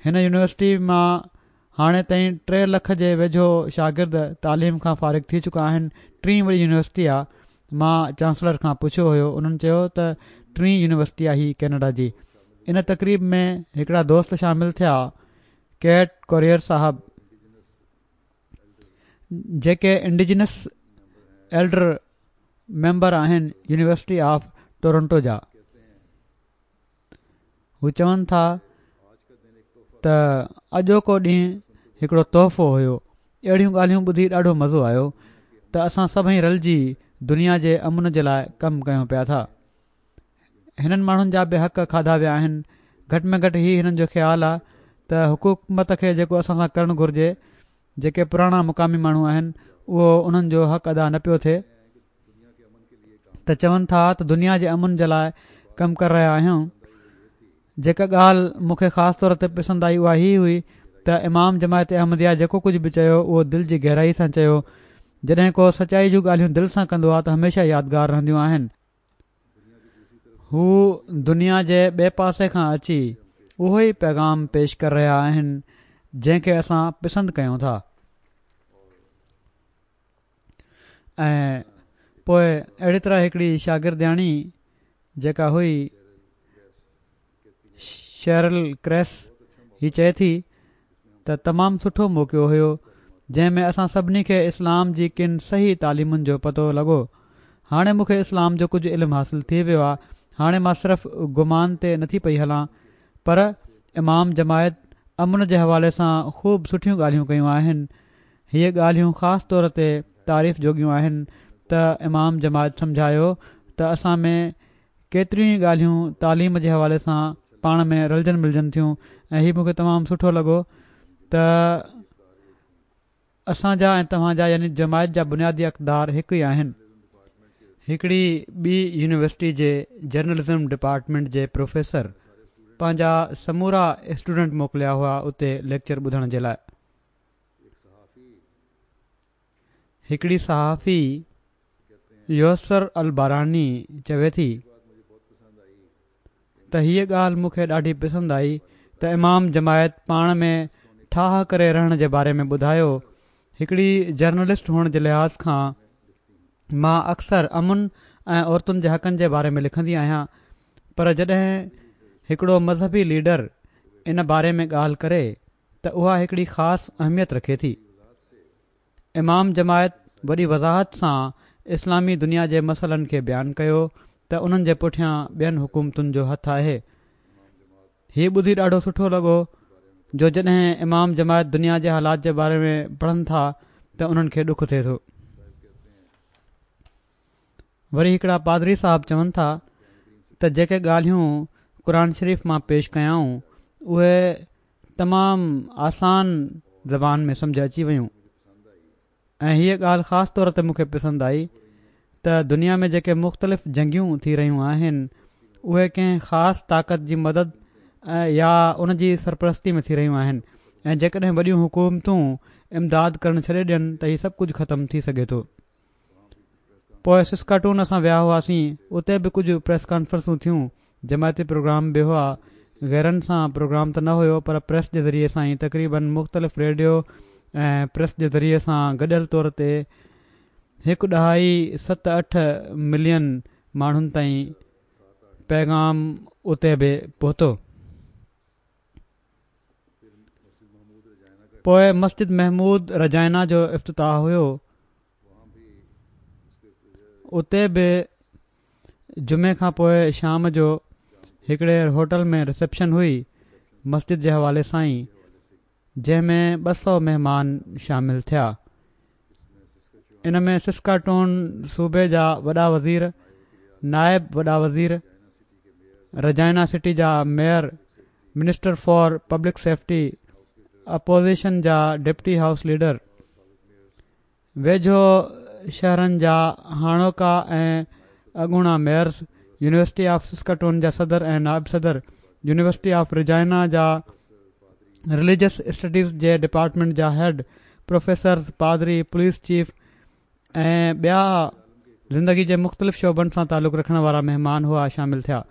هن يونيورسٽي مان هاڻي تائين ٽي لک جي ويجهو شاگرد تعليم کان فارغ ٿي چڪا آهن. ٽين وڏي يونيورسٽي آ. مان چانسلر کان پڇيو هيو انهن چيو ته ٽين يونيورسٽي آ هي ڪينيڊا جي. ان تقريب ۾ هڪڙا دوست شامل ٿيا ڪيٽ ڪوريئر صاحب جيڪي انڊيجنس ايلڊر ميمبر آهن يونيورسٽي آف ٽورنٽو جا. هو چون ٿا ته اڄوڪو ڏينهن هڪڙو تحفو هيو. اهڙيون ڳالهيون ٻڌي ڏاڍو مزو آيو ته اسان سڀئي رلجي دنيا جي امن جي لاء ڪم ڪيون پيا ٿا. هنن ماڻهن جا به حق کاڌا ويا آهن. گهٽ ۾ گهٽ هي هنن جو خيال آ ته حڪومت کي جيڪو اسان سان ڪرڻ گهرجي جيڪي پراڻا مقامي ماڻهو آهن اهو انهن جو حق ادا نه پيو ٿئي ته چون ٿا ته دنيا جي امن جي لاء ڪم ڪري رهيا آهيون جيڪا ڳالهه مون کي خاص طور تي پسند آئي اها هي هئي ته امام جماعت احمديه جيڪو ڪجهه به چيو اهو دل جي گهرائي سان چيو جڏهن ڪو سچائي جون ڳالهيون دل سان ڪندو آهي ته هميشه يادگار رهنديون آهن هو دنيا جي ٻئي پاسي کان اچي اهو ئي پيغام پيش ڪري رهيا آهن جنهن کي اسان پسند ڪيون ٿا ۽ پوء اهڙي طرح هڪڙي شاگردياڻي جيڪا هئي شيرل ڪريس هي چئي ٿي ته تمام سٺو موقعو هيو جنهن ۾ اسان سڀني کي اسلام جي ڪن صحيح تعليمن جو پتو لڳو. هاڻي مون کي اسلام جو ڪجهه علم حاصل ٿي ويو آ هاڻي مان صرف گمان تي نٿي پئي هلان پر امام جماعت امن جي حوالي سان خوب سٺيون ڳالهيون ڪيون آهن هيء ڳالهيون خاص طور تي تعريف جوڳيون آهن ته امام جماعت سمجهايو ته اسان ۾ ڪيتريون ئي ڳالهيون تعليم جي حوالي سان پاڻ ۾ رلجن ملجن ٿيون ۽ هي مون کي تمام سٺو لڳو ته اسان جا ۽ توهان جا يعني جماعت جا بنيادي اقدار هڪ ئي آهن. هڪڙي ٻي يونيورسٽي جي جرنلزم ڊپارٽمينٽ جي پروفيسر پنهنجا سمورا اسٽوڊنٽ موڪليا هئا اتي ليڪچر ٻڌڻ جي لاء. هڪڙي صحافي يوسر الباراني چوي ٿي ته هيء ڳالهه مون کي ڏاڍي پسند آئي ته امام جماعت پاڻ ۾ ٺاهه ڪري رهڻ جي باري ۾ ٻڌايو هڪڙي جرنلسٽ هئڻ جي لحاظ کان مان اڪثر امن ۽ عورتن جي حقن جي باري ۾ لکندي آهيان پر جڏهن هڪڙو مذهبي ليڊر ان باري ۾ ڳالهه ڪري ته اها هڪڙي خاص اهميت رکي ٿي. امام جماعت وڏي وضاحت سان اسلامي دنيا جي مسئلن کي بيان ڪيو ته انهن جي پٺيان ٻين حڪومتن جو هٿ آهي. هي ٻڌي ڏاڍو سٺو لڳو جو جڏهن امام جماعت دنيا جي حالات جي باري ۾ پڙهن ٿا ته انهن کي ڏک ٿئي ٿو. وري هڪڙا پادري صاحب چون ٿا ته جيڪي ڳالهيون قرآن شريف مان پيش ڪيائون اهي تمام آسان زبان ۾ سمجهه اچي ويون ۽ هيء ڳالهه خاص طور تي مون کي پسند آئي ته دنيا ۾ جيڪي مختلف جنگيون ٿي رهيون آهن اهي ڪنهن خاص طاقت جي مدد يا ان جي سرپرستي ۾ ٿي رهيون آهن ۽ جيڪڏهن وڏيون حڪومتون امداد ڪرڻ ڇڏي ڏين ته هي سڀ ڪجهه ختم ٿي سگهي ٿو. پوء سسڪاٽون اسان ويا هئاسين، اتي به ڪجهه پريس ڪانفرنسون ٿيون، جماعتي پروگرام به هئا، غيرن سان پروگرام ته نه هيو پر پريس جي ذريعي سان ئي تقريبن مختلف ريڊيو ۽ پريس جي ذريعي سان گڏيل طور تي هڪ ڏهائي ست اٺ ملين ماڻهن تائين پيغام اتي به پهتو. پوء مسجد محمود رجائنا جو افتتاح هيو. اتي به جمعي کان پوء شام جو هڪڙي هوٽل ۾ رسيپشن هئي مسجد جي حوالي سان ئي جنهن ۾ 200 مهمان شامل ٿيا. ان ۾ سسڪاٽون صوبي جا وڏا وزير، نائب وڏا وزير، رجائنا سٽي جا mayor, minister for public safety, opposition جا ڊپٽي هائوس ليڊر، ويجهو شهرن جا هاڻوڪا ۽ اڳوڻا ميئرز، يونيورسٽي آف سسڪاٽون جا صدر ۽ نائب صدر، يونيورسٽي آف رجائنا جا رليجس اسٽڊيز جي ڊپارٽمينٽ جا هيڊ، پروفيسرز، پادري، پوليس چيف ۽ ٻيا زندگي جي مختلف شعبن سان تعلق رکڻ وارا مهمان هئا شامل ٿيا.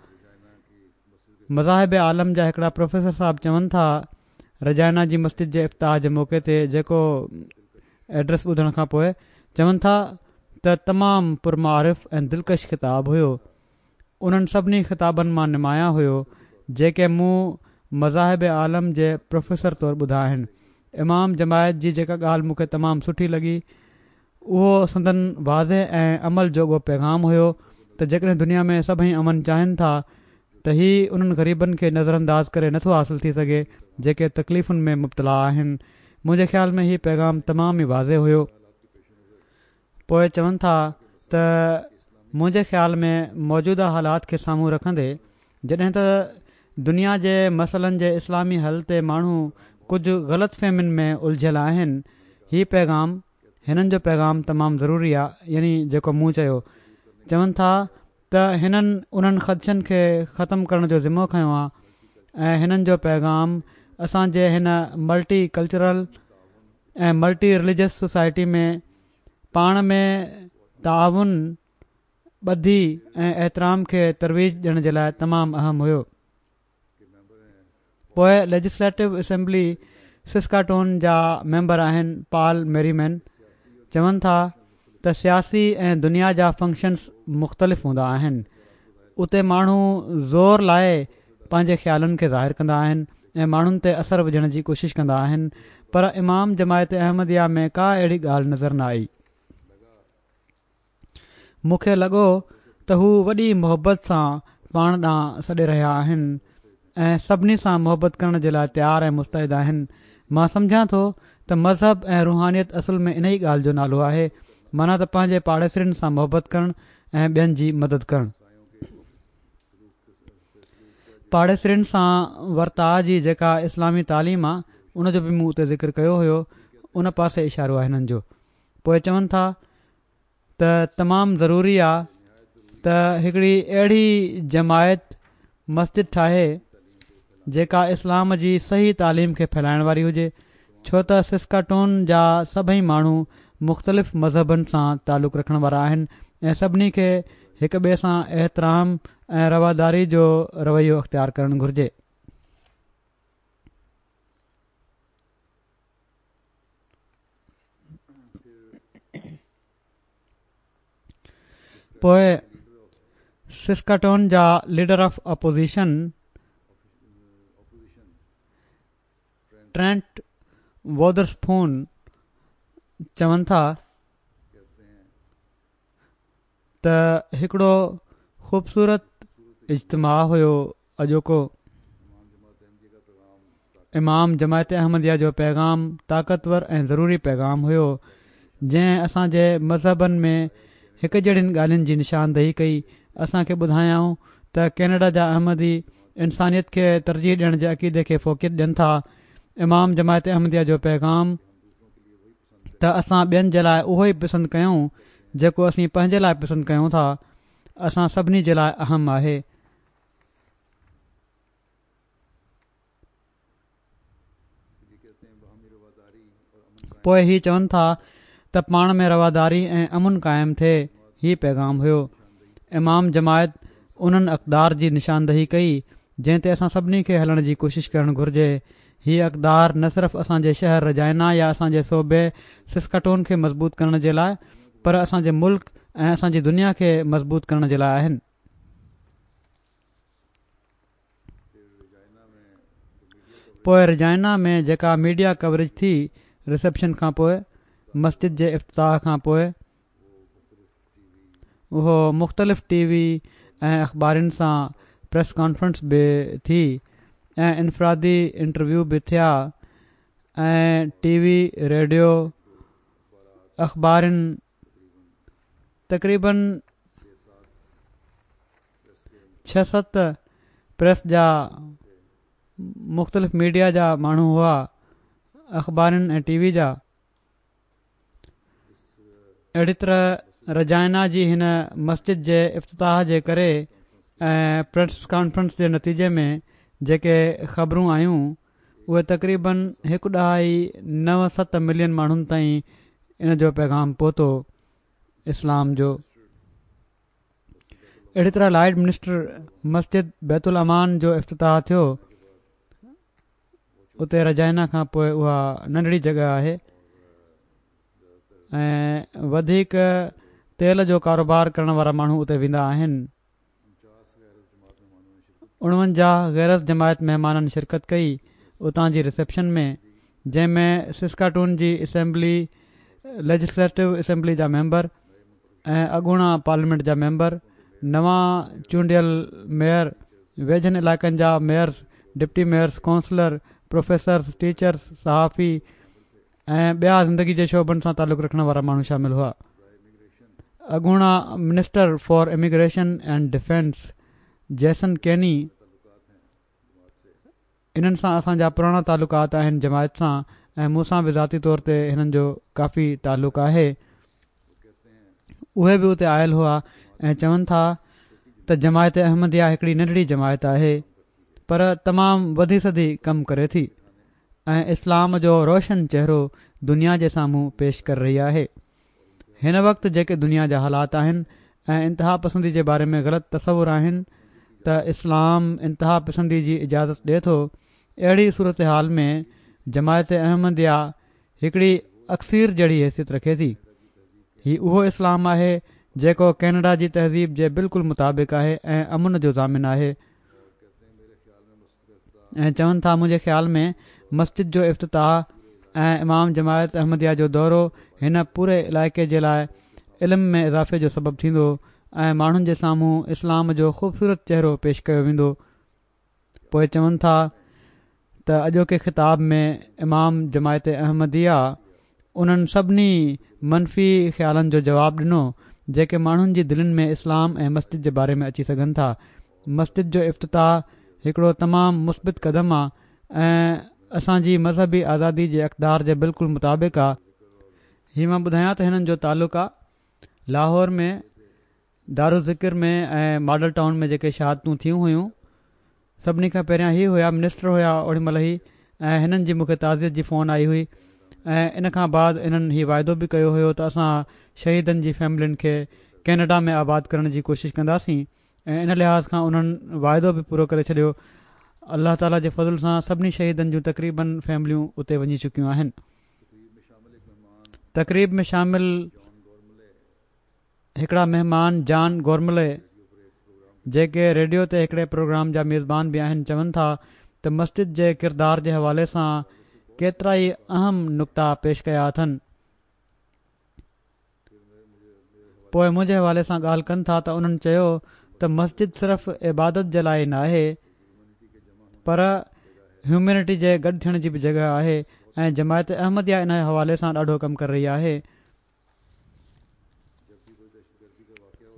مذاهب عالم جا هڪڙا پروفيسر صاحب چون ٿا رجائنا جي مسجد جي افتتاح جي موقعي تي جيڪو ايڊريس ٻڌڻ کان پوء چون ٿا ته تمام پرمعارف ۽ دلڪش خطاب هيو انهن سڀني خطابن مان نمايان هيو جيڪي مون مذاهب عالم جي پروفيسر طور ٻڌا آهن امام جماعت جي جيڪا ڳالهه مون کي تمام سٺي لڳي اهو سندن واضح ۽ عمل جوڳو پيغام هيو ته جيڪڏهن دنيا ۾ سڀئي امن چاهين ٿا ته هي انهن غريبن کي نظرانداز ڪري نٿو حاصل ٿي سگهي جيڪي تڪليفن ۾ مبتلا آهن. منهنجي خيال ۾ هي پيغام تمام ئي واضح هيو. پوء چون ٿا ته منهنجي خيال ۾ موجوده حالات کي سامهون رکندي جڏهن ته دنيا جي مسئلن جي اسلامي حل تي ماڻهو ڪجهه غلط فهمين ۾ الجهيل آهن هي پيغام هنن جو پيغام تمام ضروري آ يعني جيڪو مون چيو. چون ٿا ته هنن انهن خدشن کي ختم ڪرڻ جو ذمو کنيو آ ۽ هنن جو پيغام اسان جي هن multi cultural ۽ multi religious society ۾ پاڻ ۾ تعاون، ٻڌي ۽ احترام کي ترويج ڏيڻ جي لاء تمام اهم هيو. پوء ليجسليٽو اسيمبلي سسڪاٽون جا ميمبر آهن پال ميريمين چون ٿا ته سياسي ۽ دنيا جا فنڪشنز مختلف هوندا آهن اتي ماڻهو زور لائي پنهنجي خيالن کي ظاهر ڪندا آهن ۽ ماڻهن تي اثر وجهڻ جي ڪوشش ڪندا آهن پر امام جماعت احمديه ۾ ڪا اهڙي ڳالهه نظر نه آئي. مون کي لڳو ته هو وڏي محبت سان پاڻ ڏانهن سڏي رهيا آهن ۽ سڀني سان محبت ڪرڻ جي لاء تيار ۽ مستعد آهن. مان سمجهان ٿو ته مذهب ۽ روحانيت اصل ۾ انهي ڳالهه جو نالو آهي، معنيٰ ته پنهنجي پاڙيسرين سان محبت ڪرڻ ۽ ٻين جي مدد ڪرڻ. پاڙيسرين سان ورتاء جي جيڪا اسلامي تعليم آ، ان جو به مون اتي ذڪر ڪيو هيو، ان پاسي اشارو آهي هنن جو. پوء چون ٿا ته تمام ضروري آ ته هڪڙي اهڙي جماعت مسجد ٺاهي جيڪا اسلام جي صحيح تعليم کي ڦهلائڻ واري هجي ڇو ته سسڪاٽون جا سڀئي ماڻهو مختلف مذهبن سان تعلق رکڻ وارا آهن ۽ سڀني کي هڪ ٻئي سان احترام ۽ رواداري جو رويو اختيار ڪرڻ گهرجي. پوء سسڪاٽون جا ليڊر آف اپوزيشن ٽرينٽ وودرسپون چون ٿا ته هڪڙو خوبصورت اجتماع هيو اڄوڪو امام جماعت احمديه جو پيغام طاقتور ۽ ضروري پيغام هيو جنهن اسان جي مذهبن ۾ هڪ جهڙين ڳالهين جي نشاندهي ڪئي اسان کي ٻڌايائون ته ڪينيڊا جا احمدي انسانيت کي ترجيح ڏيڻ جي عقيدي کي فوقيت ڏين ٿا امام جماعت احمديه جو پيغام ته اسان ٻين جي لاء اهو ئي پسند ڪيون جيڪو اسين پنهنجي لاء پسند ڪيون ٿا اسان سڀني جي لاء اهم آهي. پوء هي چون ٿا ته پاڻ ۾ رواداري ۽ امن قائم ٿئي هي پيغام هيو. امام جماعت انهن اقدار جي نشاندهي ڪئي جنهن تي اسان سڀني کي هلڻ جي ڪوشش ڪرڻ گهرجي. هي اقدار نه صرف اسان جي شهر رجائنا يا اسان جي صوبي سسڪاٽون کي مضبوط ڪرڻ جي لاء پر اسان جي ملڪ ۽ اسان جي دنيا کي مضبوط ڪرڻ جي لاء آهن. پوء رجائنا ۾ جيڪا ميڊيا ڪوريج ٿي رسيپشن کان پوء مسجد جي افتتاح کان پوء اهو مختلف ٽي وي ۽ اخبارين سان پريس ڪانفرنس به ٿي ۽ انفرادي انٽرويو به ٿيا ۽ ٽي وي ريڊيو اخبارين تقريبن ڇهه ست پريس جا مختلف ميڊيا جا ماڻهو هئا اخبارن ۽ ٽي وي جا اهڙي طرح رجائنا جي هن مسجد جي افتتاح جي ڪري ۽ پريس ڪانفرنس جي نتيجي ۾ جيڪي خبرون آيون اهي تقريبن هڪ ڏهائي نو ست ملين ماڻهن تائين ان جو پيغام پهتو اسلام جو. اهڙي طرح لائيڊ منسٽر مسجد بيت الامان جو افتتاح ٿيو اتي رجائنا کان پوء اها ننڍڙي جڳهه آهي ۽ وڌيڪ تيل جو ڪاروبار ڪرڻ وارا ماڻهو اتي ويندا آهن. 49 غير از جماعت مهمانن شرڪت ڪئي اتان جي رسيپشن ۾ جنهن ۾ سسڪاٽون جي اسيمبلي ليجسليٽو اسيمبلي جا ميمبر ۽ اڳوڻا پارليامينٽ جا ميمبر نوان چونڊيل ميئر ويجهن علائقن جا mayors deputy mayors councillor professors teachers صحافي ۽ ٻيا زندگي جي شعبن سان تعلق رکڻ وارا ماڻهو شامل هئا. اڳوڻا minister for immigration and defence Jason Kenney انهن سان اسان جا پراڻا تعلقات آهن جماعت سان ۽ مون سان به ذاتي طور تي هنن جو ڪافي تعلق آهي. اهي به اتي آيل هئا ۽ چون ٿا ته جماعت احمديه هڪڙي ننڍڙي جماعت آهي پر تمام وڌي سڌي ڪم ڪري ٿي ۽ اسلام جو روشن چهرو دنيا جي سامهون پيش ڪري رهي آهي. هن وقت جيڪي دنيا جا حالات آهن ۽ انتها پسندي جي باري ۾ غلط تصور آهن ته اسلام انتها پسندي جي اجازت ڏي ٿو اهڙي صورتحال ۾ جماعت احمديه هڪڙي اڪسير جهڙي حيثيت رکي ٿي. هي اهو اسلام آهي جيڪو ڪينيڊا جي تهذيب جي بلڪل مطابق آهي ۽ امن جو ضامن آهي. ۽ چون ٿا منهنجي خيال ۾ مسجد جو افتتاح ۽ امام جماعت احمديه جو دورو هن پوري علائقي جي لاء علم ۾ اضافي جو سبب ٿيندو ۽ ماڻهن جي سامهون اسلام جو خوبصورت چهرو پيش ڪيو ويندو پوء چون ٿا ته اڄوڪي خطاب ۾ امام جماعت احمديه انهن سڀني منفي خيالن جو جواب ڏنو جيڪي ماڻهن جي دلين ۾ اسلام ۽ مسجد جي باري ۾ اچي سگهن ٿا. مسجد جو افتتاح هڪڙو تمام مثبت قدم آ ۽ اسان جي مذهبي آزادي جي اقدار جي بلڪل مطابق آ. هي مان ٻڌايان ته هنن جو تعلق آ لاهور ۾ دارالذڪر ۾ ۽ ماڊل ٽائون ۾ جيڪي شهادتون ٿيون هيون سڀني کان پهريان هي هيا منسٽر هيا اوڏي مهل ئي ۽ هنن جي مونکي تعزيت جي فون آئي هئي ۽ ان کان بعد انهن هي واعدو به ڪيو هيو ته اسان شهيدن جي فيملين کي ڪينيڊا ۾ آباد ڪرڻ جي ڪوشش ڪنداسين ۽ ان لحاظ کان انهن واعدو به پورو ڪري ڇڏيو الله تعالي جي فضل سان سڀني شهيدن جون تقريبن فيمليون اتي وڃي چڪيون آهن تقريب ۾ شامل هڪڙا مهمان جان گورملي جيڪي ريڊيو تي هڪڙي پروگرام جا ميزبان به آهن چون ٿا ته مسجد جي ڪردار جي حوالي سان ڪيترائي اهم نڪتا پيش ڪيا اٿن. پوء منهنجي حوالي سان ڳالهه ڪن ٿا ته انهن چيو ته مسجد صرف عبادت جي لاء ناهي پر هيومينٽي جي گڏ ٿيڻ جي به جڳهه آهي ۽ جماعت احمديه ان حوالي سان ڏاڍو ڪم ڪري رهي آهي.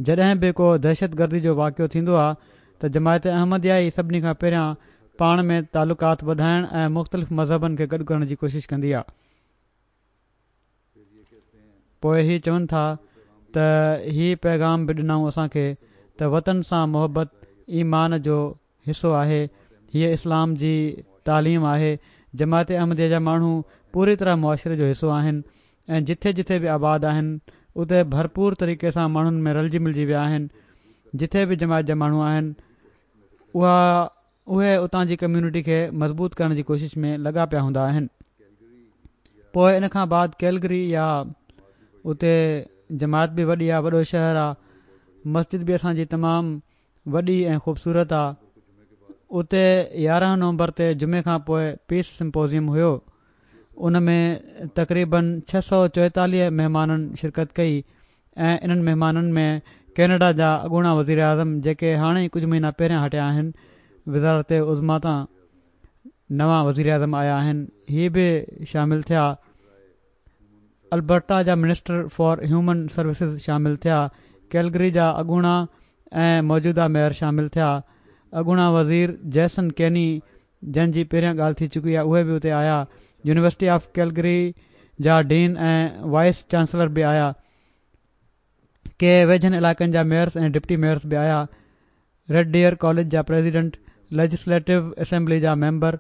جڏهن به ڪو دهشتگردي جو واقعو ٿيندو آهي ته جماعت احمديه ئي سڀني کان پهريان پاڻ ۾ تعلقات وڌائڻ ۽ مختلف مذهبن کي گڏ ڪرڻ جي ڪوشش ڪندي آهي. پوء هي چون ٿا ته هي پيغام به ڏنائون اسان کي ته وطن سان محبت ايمان جو حصو آهي، هيء اسلام جي تعليم آهي، جماعت احمديه جا ماڻهو پوري طرح معاشري جو حصو آهن ۽ جٿي جٿي به آباد آهن اتي ڀرپور طريقي سان ماڻهن ۾ رلجي ملجي ويا آهن، جٿي به جماعت جا ماڻهو آهن اها اهي اتان جي ڪميونٽي کي مضبوط ڪرڻ جي ڪوشش ۾ لڳا پيا هوندا آهن. پوء ان کان بعد ڪيلگري يا اتي جماعت به وڏي آ وڏو شهر آ مسجد به اسان جي تمام وڏي ۽ خوبصورت آ اتي 11 نومبر تي جمعي کان پوء پيس سمپوزيم هيو ان ۾ تقريبن 644 مهمانن شرڪت ڪئي ۽ انهن مهمانن ۾ ڪينيڊا جا اڳوڻا وزيراعظم جيڪي هاڻي ئي ڪجهه مهينا پهريان هٽيا آهن وزارت عظميٰ تان نوان وزيراعظم آيا آهن هي به شامل ٿيا البرٽا جا منسٽر فار هيومن سروسز شامل ٿيا، ڪيلگري جا اڳوڻا ۽ موجوده ميئر شامل ٿيا، اڳوڻا وزير جيسن ڪيني جن جي پهريان ڳالهه ٿي چڪي آهي اهي به اتي آيا، يونيورسٽي آف ڪيلگري جا ڊين ۽ وائيس چانسلر به آيا، ڪي ويجهن علائقن جا ميئرز ۽ ڊپٽي ميئرز به آيا. ريڊ ڊيئر ڪاليج جا پريزيڊنٽ، ليجسليٽو اسيمبلي جا ميمبر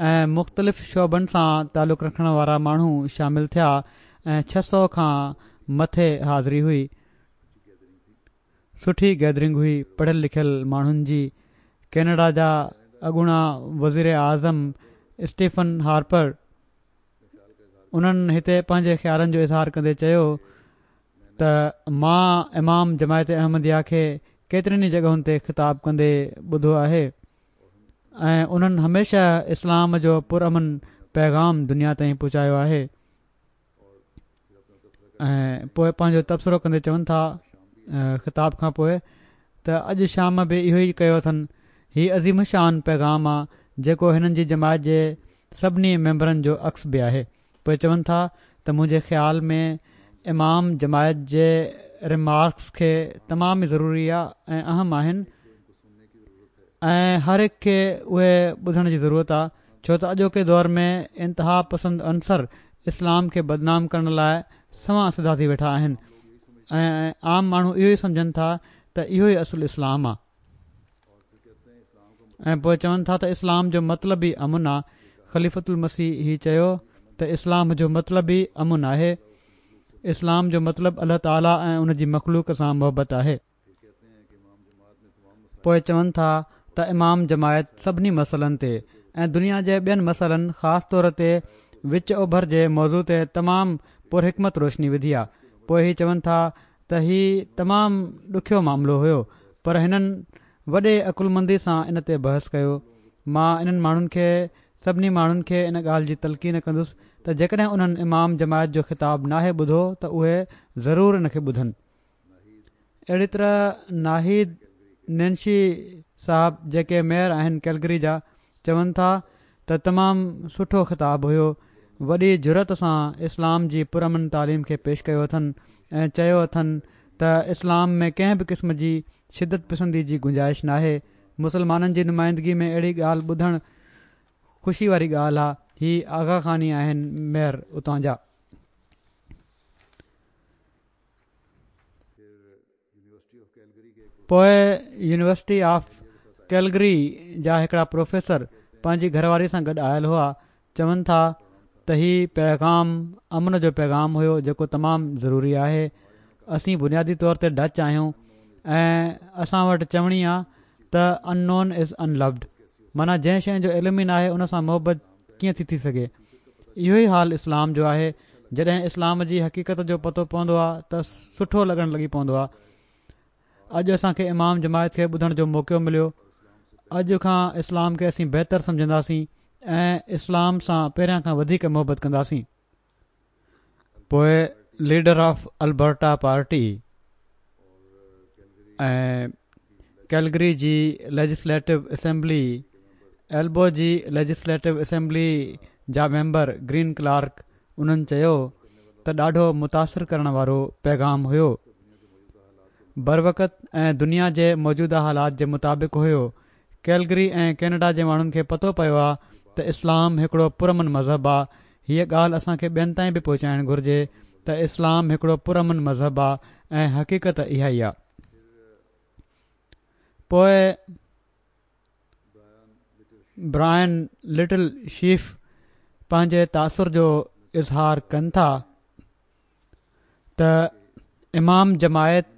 ۽ مختلف شعبن سان تعلق رکڻ وارا ماڻهو شامل ٿيا ۽ 600 کان مٿي حاضري هئي. سٺي گيدرنگ هئي پڙهيل لکيل ماڻهن جي. ڪينيڊا جا اڳوڻا وزير اعظم اسٽيفن هارپر انهن هتي پنهنجي خيالن جو اظهار ڪندي چيو ته مان امام جماعت احمديه کي ڪيترين ئي جڳهن تي خطاب ڪندي ٻڌو آهي ۽ انهن هميشه اسلام جو پرامن پيغام دنيا تائين پهچايو آهي ۽ پوء پنهنجو تبصرو ڪندي چون ٿا خطاب کان پوء ته اڄ شام به اهو ئي ڪيو اٿن هي عظيم الشان پيغام آ جيڪو هنن جي جماعت جي سڀني ميمبرن جو عڪس به آهي پوء چون ٿا ته منهنجي خيال ۾ امام جماعت جي رمارڪس کي تمام ئي ضروري آ ۽ اهم آهن ۽ هر هڪ کي اهي ٻڌڻ جي ضرورت آ ڇو ته اڄوڪي دور ۾ انتها پسند عنصر اسلام کي بدنام ڪرڻ لاء سنوان سڌا ٿي ويٺا آهن ۽ عام ماڻهو اهو ئي سمجهن ٿا ته اهو ئي اصل اسلام آ. ۽ پوء چون ٿا ته اسلام جو مطلب ئي امن آ خليفة المسيح هي چيو ته اسلام جو مطلب ئي امن آهي اسلام جو مطلب الله تعالي ۽ ان جي مخلوق سان محبت آهي. پوء چون ٿا ته امام جماعت سڀني مسئلن تي ۽ دنيا جي ٻين مسئلن خاص طور تي وچ اوڀر جي موضوع تي تمام پرحڪمت روشني وڌي آ پوء هي چون ٿا ته هي تمام ڏکيو معاملو هيو پر هنن وڏي عقلمندي سان ان تي بحث ڪيو. مان انهن ماڻهن کي سڀني ماڻهن کي ان ڳالهه جي تلقين ڪندس ته جيڪڏهن انهن امام جماعت جو خطاب ناهي ٻڌو ته اهي ضرور ان کي ٻڌن. اهڙي طرح ناهيد نينشي صاحب جيڪي ميئر آهن ڪيلگري جا چون ٿا ته تمام سٺو خطاب هيو، وڏي جرئت سان اسلام جي پرامن تعليم کي پيش ڪيو اٿن ۽ چيو اٿن ته اسلام ۾ ڪنهن به قسم جي شدت پسندي جي گنجائش ناهي، مسلمانن جي نمائندگي ۾ اهڙي ڳالهه ٻڌڻ خوشي واري ڳالهه آ، هي آغا خاني آهن ميئر اتان جا. پوء يونيورسٽي آف ڪيلگري جا هڪڙا پروفيسر پنهنجي گهر واري سان گڏ آيل هئا چون ٿا ته هي پيغام امن جو پيغام هيو جيڪو تمام ضروري آهي اسين بنيادي طور تي ڊچ آهيون ۽ اسان وٽ چوڻي آ ته ان نون از ان لوڊ معنيٰ جنهن شيء جو علم ئي ناهي ان سان محبت ڪيئن ٿي ٿي سگهي اهو ئي حال اسلام جو آهي جڏهن اسلام جي حقيقت جو پتو پوندو آهي ته سٺو لڳڻ لڳي پوندو آهي اڄ اسان کي امام جماعت کي ٻڌڻ جو موقعو مليو اڄ کان اسلام کي اسين بهتر سمجهنداسين ۽ اسلام سان پهريان کان وڌيڪ محبت ڪنداسين پوء leader of Alberta party ۽ Calgary جي ليجسليٽو اسيمبلي ايلبو جي ليجسليٽو اسيمبلي جا ميمبر گرين ڪلارڪ انهن چيو ته ڏاڍو متاثر ڪرڻ وارو پيغام هيو بروقت ۽ دنيا جي موجوده حالات جي مطابق هيو ڪيلگري ۽ ڪينيڊا جي ماڻهن کي پتو پيو آ ته اسلام هڪڙو پرامن مذهب آ هيء ڳالهه اسان کي ٻين تائين به پهچائڻ گهرجي ته اسلام هڪڙو پرامن مذهب آ ۽ حقيقت اها ئي آ. پوء برائن لٽل شيف پنهنجي تاثر جو اظهار ڪن ٿا. ته امام جماعت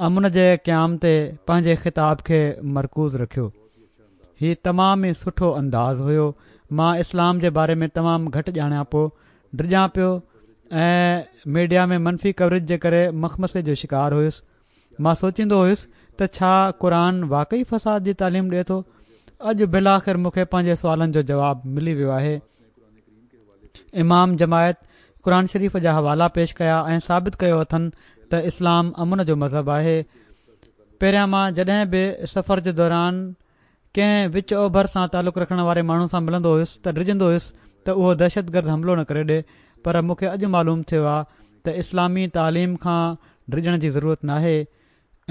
امن جي قيام تي پنهنجي خطاب کي مرڪوز رکيو. هي تمام ئي سٺو انداز هيو. مان اسلام جي باري ۾ تمام گهٽ ڄاڻيان پيو، ڊڄان پيو ۽ ميڊيا ۾ منفي ڪوريج جي ڪري مخمصي جو شڪار هيس. مان سوچيندو هيس ته ڇا قرآن واقعي فساد جي تعليم ڏئي ٿو؟ اڄ بالآخر مون کي پنهنجي سوالن جو جواب ملي ويو آهي. امام جماعت قرآن شريف جا حوالا پيش ڪيا ۽ ثابت ڪيو اٿن ته اسلام امن جو مذهب آهي. پهريان مان جڏهن به سفر جي دوران ڪنهن وچ اوڀر سان تعلق رکڻ واري ماڻهو سان ملندو هيس ته ڊڄندو هيس ته اهو دهشتگرد حملو نه ڪري ڏي پر مون کي اڄ معلوم ٿيو آ ته اسلامي تعليم کان ڊڄڻ جي ضرورت ناهي.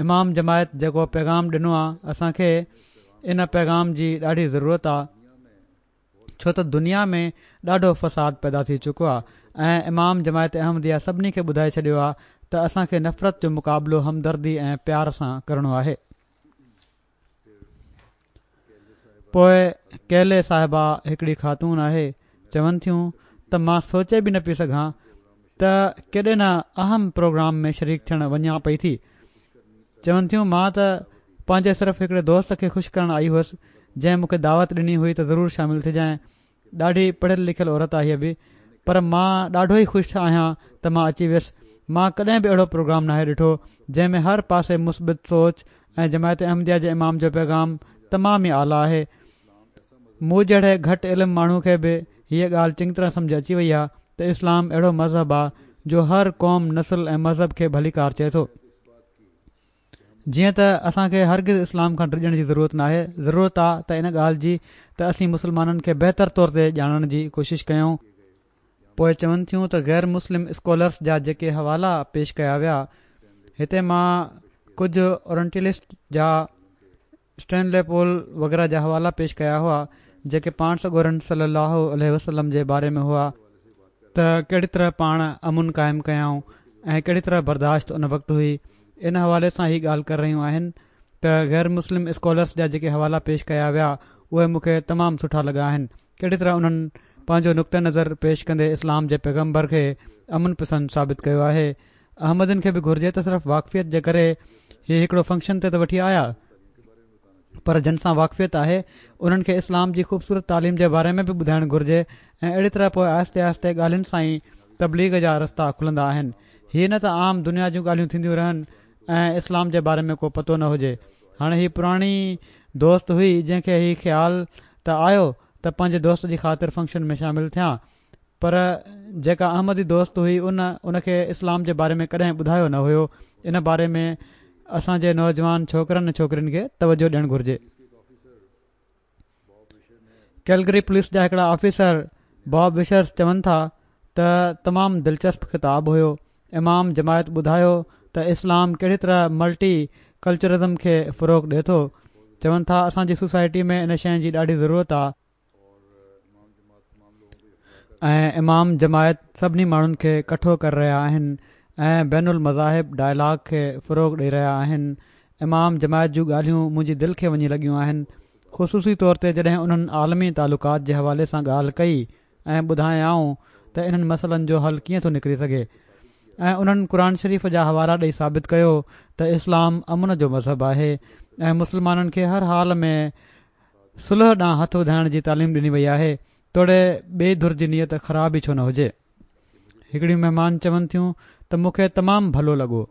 امام جماعت جيڪو پيغام ڏنو آ اسان کي ان پيغام جي ڏاڍي ضرورت آ ڇو ته دنيا ۾ ڏاڍو فساد پيدا ٿي چڪو آ ۽ امام جماعت احمديه سڀني کي ٻڌائي ڇڏيو آ ته اسان کي نفرت جو مقابلو همدردي ۽ پيار سان ڪرڻو آهي. پوء ڪيلي صاحبه هڪڙي خاتون آهي چون ٿيون ته مان سوچي به نه پئي سگهان ته ڪيڏي نه اهم پروگرام ۾ شريڪ ٿيڻ وڃان پئي ٿي. چون ٿيون مان ته پنهنجي صرف هڪڙي دوست کي خوش ڪرڻ آئي هئس جنهن مون کي دعوت ڏني هئي ته ضرور شامل ٿجانء ڏاڍي پڙهيل لکيل عورت آهي هيء به پر مان ڏاڍو ئي خوش آهيان ته مان اچي ويس مان ڪڏهن به اهڙو پروگرام ناهي ڏٺو جنهن ۾ هر پاسي مثبت سوچ ۽ جماعت احمديه جي امام جو پيغام تمام ئي اعليٰ آهي مون جهڙي گهٽ علم ماڻهو کي به هيء ڳالهه چڱي طرح سمجهه اچي وئي آهي ته اسلام اهڙو مذهب آهي جو هر قوم نسل ۽ مذهب کي ڀليڪار چئي ٿو. جيئن ته اسان کي هرگز اسلام کان ڊڄڻ جي ضرورت ناهي، ضرورت آ ته ان ڳالهه جي ته اسين مسلمانن کي بهتر طور تي ڄاڻڻ جي ڪوشش ڪيون. پوء چون ٿيون ته غير مسلم اسڪالرس جا جيڪي حوالا پيش ڪيا ويا، هتي مان ڪجهه اورنٽيلسٽ جا اسٽينلي پول وغيره جا حوالا پيش ڪيا هئا جيڪي پاڻ سڳورن صلي الله عليه وسلم جي باري ۾ هئا ته ڪهڙي طرح پاڻ امن قائم ڪيائون ۽ ڪهڙي طرح برداشت ان وقت هئي ان حوالي سان هي ڳالهه ڪري رهيون آهن ته غير مسلم اسڪالرس جا جيڪي حوالا پيش ڪيا ويا اهي مون کي تمام سٺا لڳا آهن ڪهڙي طرح انهن پنهنجو نقطه نظر پيش ڪندي اسلام جي پيغمبر کي امن پسند ثابت ڪيو آهي احمدين کي به گهرجي ته صرف واقفيت جي ڪري هي هڪڙو فنڪشن تي ته وٺي آيا پر جن سان واقفيت آهي انهن کي اسلام جي خوبصورت تعليم جي باري ۾ به ٻڌائڻ گهرجي ۽ اهڙي طرح پوء آهستي آهستي ڳالهين سان ئي تبليغ جا رستا کلندا آهن هي نه ته عام دنيا جون ڳالهيون ٿينديون رهن ۽ اسلام جي باري ۾ ڪو پتو نه هجي هاڻي هي پراڻي دوست هئي جنهن کي هي خيال ته آيو ته پنهنجي دوست جي خاطر فنڪشن ۾ شامل ٿيان پر جيڪا احمدي دوست هئي ان ان کي اسلام جي باري ۾ ڪڏهن ٻڌايو نه هيو ان باري ۾ اسان جي نوجوان ڇوڪرن ۽ ڇوڪرين کي توجه ڏيڻ گهرجي. ڪيلگري پوليس جا هڪڙا آفيسر باب وشرز چون ٿا ته تمام دلچسپ خطاب هيو امام جماعت ٻڌايو ته اسلام ڪهڙي طرح ملٽي ڪلچرزم کي فروغ ڏي ٿو چون ٿا اسان جي سوسائٽي ۾ ان شيء جي ڏاڍي ضرورت آ ۽ امام جماعت سڀني ماڻهن کي ڪٺو ڪري رهيا آهن ۽ بين المذاهب ڊائلاگ کي فروغ ڏئي رهيا آهن امام جماعت جون ڳالهيون منهنجي دل کي وڃي لڳيون آهن خصوصي طور تي جڏهن انهن عالمي تعلقات جي حوالي سان ڳالهه ڪئي ۽ ٻڌايائون ته انهن مسئلن جو حل ڪيئن ٿو نڪري سگهي ۽ انهن قرآن شريف جا حوالا ڏئي ثابت ڪيو ته اسلام امن جو مذهب آهي ۽ مسلمانن کي هر حال ۾ صلح ڏانهن هٿ وڌائڻ جي تعليم ڏني وئي آهي توڙي ٻئي ڌر جي نيت خراب ئي ڇو نه هجي. هڪڙيون مهمان چون ٿيون ته مون کي تمام ڀلو لڳو.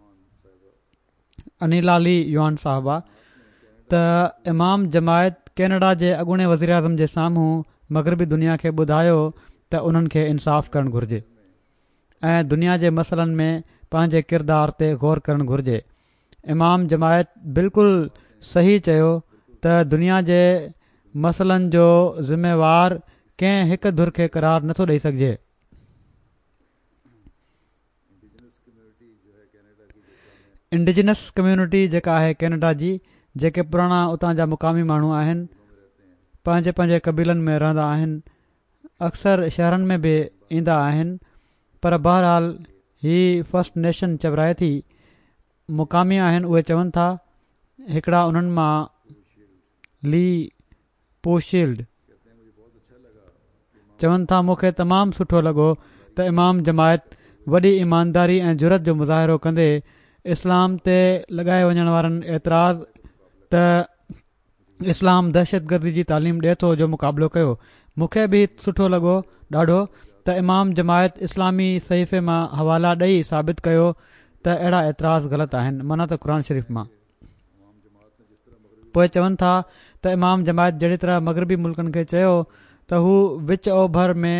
انيلا لي يوان صاحبه ته امام جماعت ڪينيڊا جي اڳوڻي وزيراعظم جي سامهون مغربي دنيا کي ٻڌايو ته انهن کي انصاف ڪرڻ گهرجي ۽ دنيا جي مسئلن ۾ پنهنجي ڪردار تي غور ڪرڻ گهرجي امام جماعت بلڪل صحيح چيو ته دنيا جي مسئلن جو ذميوار ڪنهن هڪ ڌر کي قرار نٿو ڏئي سگهجي. انڊيجنس ڪميونٽي جيڪا آهي ڪينيڊا جي جيڪي پراڻا اتان جا مقامي ماڻهو آهن پنهنجي پنهنجي قبيلن ۾ رهندا آهن اڪثر شهرن ۾ به ايندا آهن پر بهرحال هي فرسٽ نيشن چورائي ٿي مقامي آهن اهي چون ٿا هڪڙا انهن مان لي پوشيلڊ چون ٿا مون کي تمام سٺو لڳو ته امام جماعت وڏي ايمانداري ۽ جرئت جو مظاهرو ڪندي اسلام تي لڳائي وڃڻ وارن اعتراض ته اسلام دهشتگردي جي تعليم ڏئي ٿو جو مقابلو ڪيو مون کي به سٺو لڳو ڏاڍو ته امام جماعت اسلامي صحيفي مان حوالا ڏئي ثابت ڪيو ته اهڙا اعتراض غلط آهن معنيٰ ته قرآن شريف مان. پوء چون ٿا ته امام جماعت جهڙي طرح مغربي ملڪن کي چيو ته هو وچ اوڀر ۾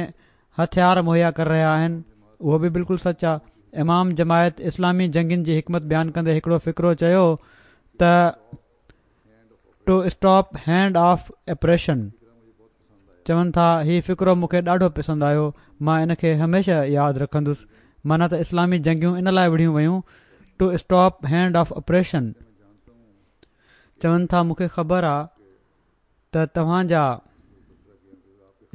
هٿيار مهيا ڪري رهيا آهن اهو به بلڪل سچ آ. امام جماعت اسلامي جنگين جي حڪمت بيان ڪندي هڪڙو فقرو چيو ته To stop hand of oppression چون ٿا هي فقرو مون کي ڏاڍو پسند آيو مان ان کي هميشه ياد رکندس معنيٰ ته اسلامي جنگيون ان لاء وڙهيون ويون To stop hand of oppression چون ٿا مون کي خبر آ ته توهان جا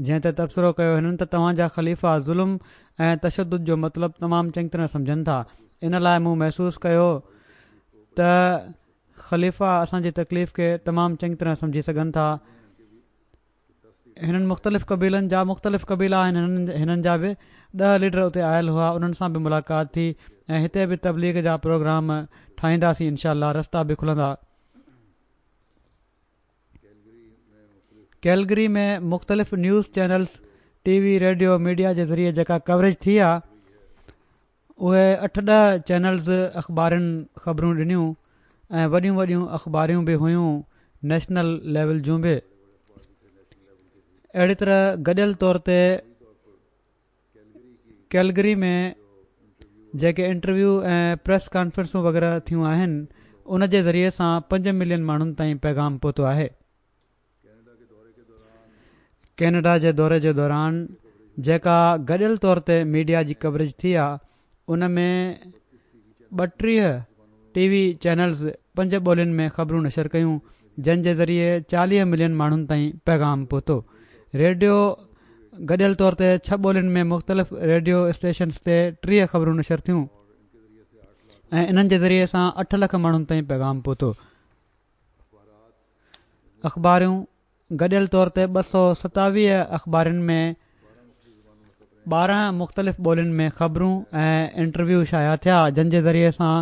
جنهن تي تبصرو ڪيو هنن ته توهان جا خليفا ظلم ۽ تشدد جو مطلب تمام چڱي طرح سمجهن ٿا ان لاء مون محسوس ڪيو ته خليفا اسان جي تڪليف کي تمام چڱي طرح سمجهي سگهن ٿا. هنن مختلف قبيلن جا مختلف قبيلا آهن هنن جا به ڏهه ليڊر اتي آيل هئا انهن سان به ملاقات ٿي ۽ هتي به تبليغ جا پروگرام ٺاهينداسين انشاء الله رستا به کلندا. ڪيلگري ۾ مختلف news channels T V radio media جي ذريعي جيڪا ڪوريج ٿي آ اهي اٺ ڏهه چينلز اخبارن خبرون ڏنيون ۽ وڏيون وڏيون اخباريون به هيون نيشنل ليول جون به اهڙي طرح گڏيل طور تي ڪيلگري ۾ جيڪي انٽرويو ۽ پريس ڪانفرنسون وغيره ٿيون آهن ان جي ذريعي سان 5 ملين ماڻهن تائين پيغام پهتو آهي. ڪينيڊا جي دوري جي دوران جيڪا گڏيل طور تي ميڊيا جي ڪوريج ٿي آ ان ۾ 32 ٽي وي چينلز پنج ٻولين ۾ خبرون نشر ڪيون جن جي ذريعي 40 ملين ماڻهن تائين پيغام پهتو. ريڊيو گڏيل طور تي ڇهه ٻولين ۾ مختلف ريڊيو اسٽيشنز تي 30 خبرون نشر ٿيون ۽ انهن جي ذريعي سان 8 لک ماڻهن تائين پيغام پهتو. اخباريون گڏيل طور تي 227 اخبارين ۾ 12 مختلف ٻولين ۾ خبرون ۽ انٽرويو شايع ٿيا جن جي ذريعي سان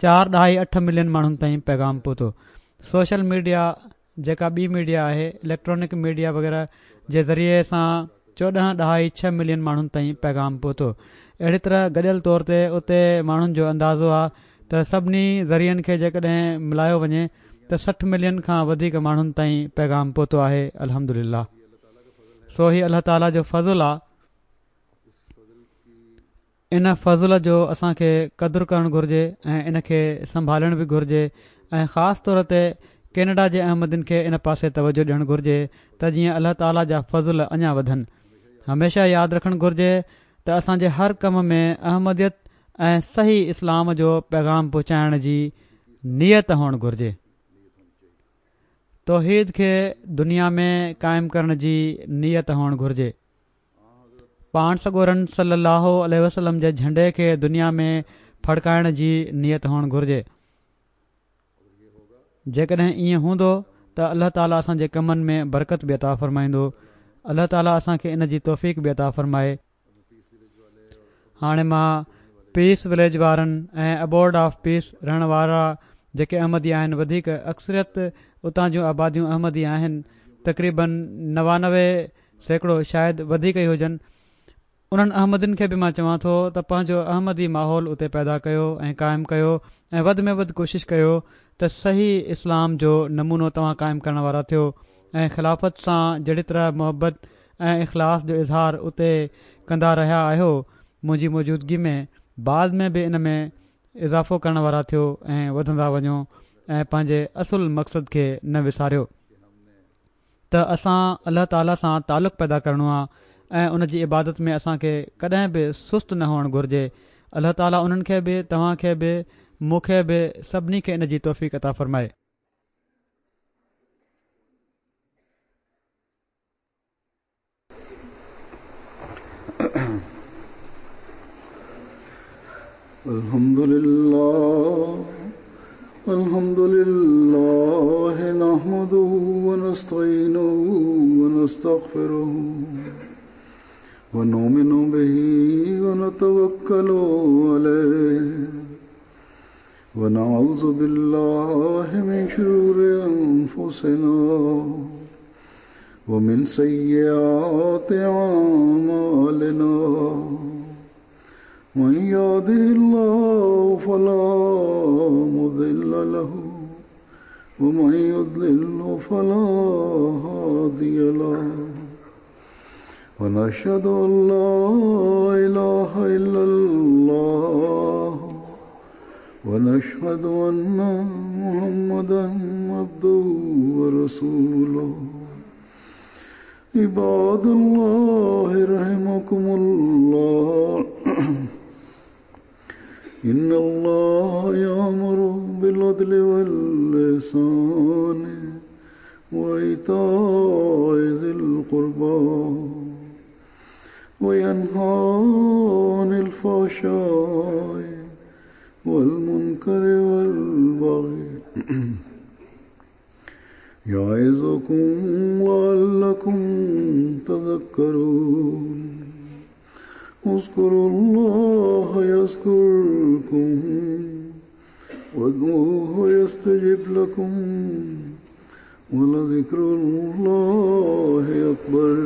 4.8 ملين ماڻهن تائين پيغام پهتو. سوشل ميڊيا جيڪا ٻي ميڊيا آهي اليڪٽرانڪ ميڊيا وغيره جي ذريعي سان 14.6 ملين ماڻهن تائين پيغام پهتو. اهڙي طرح گڏيل طور تي اتي ماڻهن جو اندازو آ ته سڀني ذريعن کي جيڪڏهن ملايو وڃي ته 60 ملين کان وڌيڪ ماڻهن تائين پيغام پهتو آهي الحمدلله سو هي الله تعالي جو فضل آ ان فضل جو اسان کي قدر ڪرڻ گهرجي ۽ ان کي سنڀالڻ به گهرجي ۽ خاص طور تي ڪينيڊا جي احمدين کي ان پاسي توجه ڏيڻ گهرجي ته جيئن الله تعالي جا فضل اڃا وڌن هميشه ياد رکڻ گهرجي ته اسان جي هر ڪم ۾ احمديت ۽ صحيح اسلام جو پيغام پهچائڻ جي نيت هئڻ گهرجي. توحيد کي دنيا ۾ قائم ڪرڻ جي نيت هئڻ گهرجي. پاڻ سڳورن صلي الله عليه وسلم جي جهنڊي کي دنيا ۾ ڦڙڪائڻ جي نيت هئڻ گهرجي. جيڪڏهن ائين هوندو ته الله تعالي اسان جي ڪمن ۾ برڪت به عطا فرمائيندو. الله تعالي اسان کي ان جي توفيق به عطا فرمائي. هاڻي مان پيس وليج وارن ۽ ابورڊ آف پيس رهڻ وارا جيڪي احمدي آهن وڌيڪ اڪثريت اتان جون آباديون احمدي آهن تقريبن 99% شايد وڌيڪ ئي هجن انهن احمدين کي به مان چوان ٿو ته پنهنجو احمدي ماحول اتي پيدا ڪيو ۽ قائم ڪيو ۽ وڌ ۾ وڌ ڪوشش ڪيو ته صحيح اسلام جو نمونو توهان قائم ڪرڻ وارا ٿيو ۽ خلافت سان جهڙي طرح محبت ۽ اخلاص جو اظهار اتي ڪندا رهيا آهيو منهنجي موجودگي ۾ بعد ۾ به ان ۾ اضافو ڪرڻ وارا ٿيو ۽ وڌندا وڃو ۽ پنهنجي اصل مقصد کي نه وساريو ته اسان الله تعالي سان تعلق پيدا ڪرڻو آ ۽ ان جي عبادت ۾ اسان کي ڪڏهن به سست نه هئڻ گهرجي الله تعالي انهن کي به توهان کي به مون کي به سڀني کي ان جي توفيق عطا فرمائي.
الحمد لله الحمد لله نحمده ونستعينه ونستغفره ونؤمن به ونتوكل عليه ونعوذ بالله من شرور أنفسنا. ومن سيئات أعمالنا من يهده الله فلا مضل له ومن يضلل فلا هادي له ونشهد أن لا إله إلا الله ونشهد أن محمدا عبده ورسوله. عباد الله رحمكم الله، إن الله يأمر بالعدل والإحسان وإيتاء ذي القربى وينهى عن الفحشاء والمنكر والبغي يعظكم لعلكم تذكرون. اذكروا الله يذكركم وادعوه يستجب لكم ولذكر الله أكبر.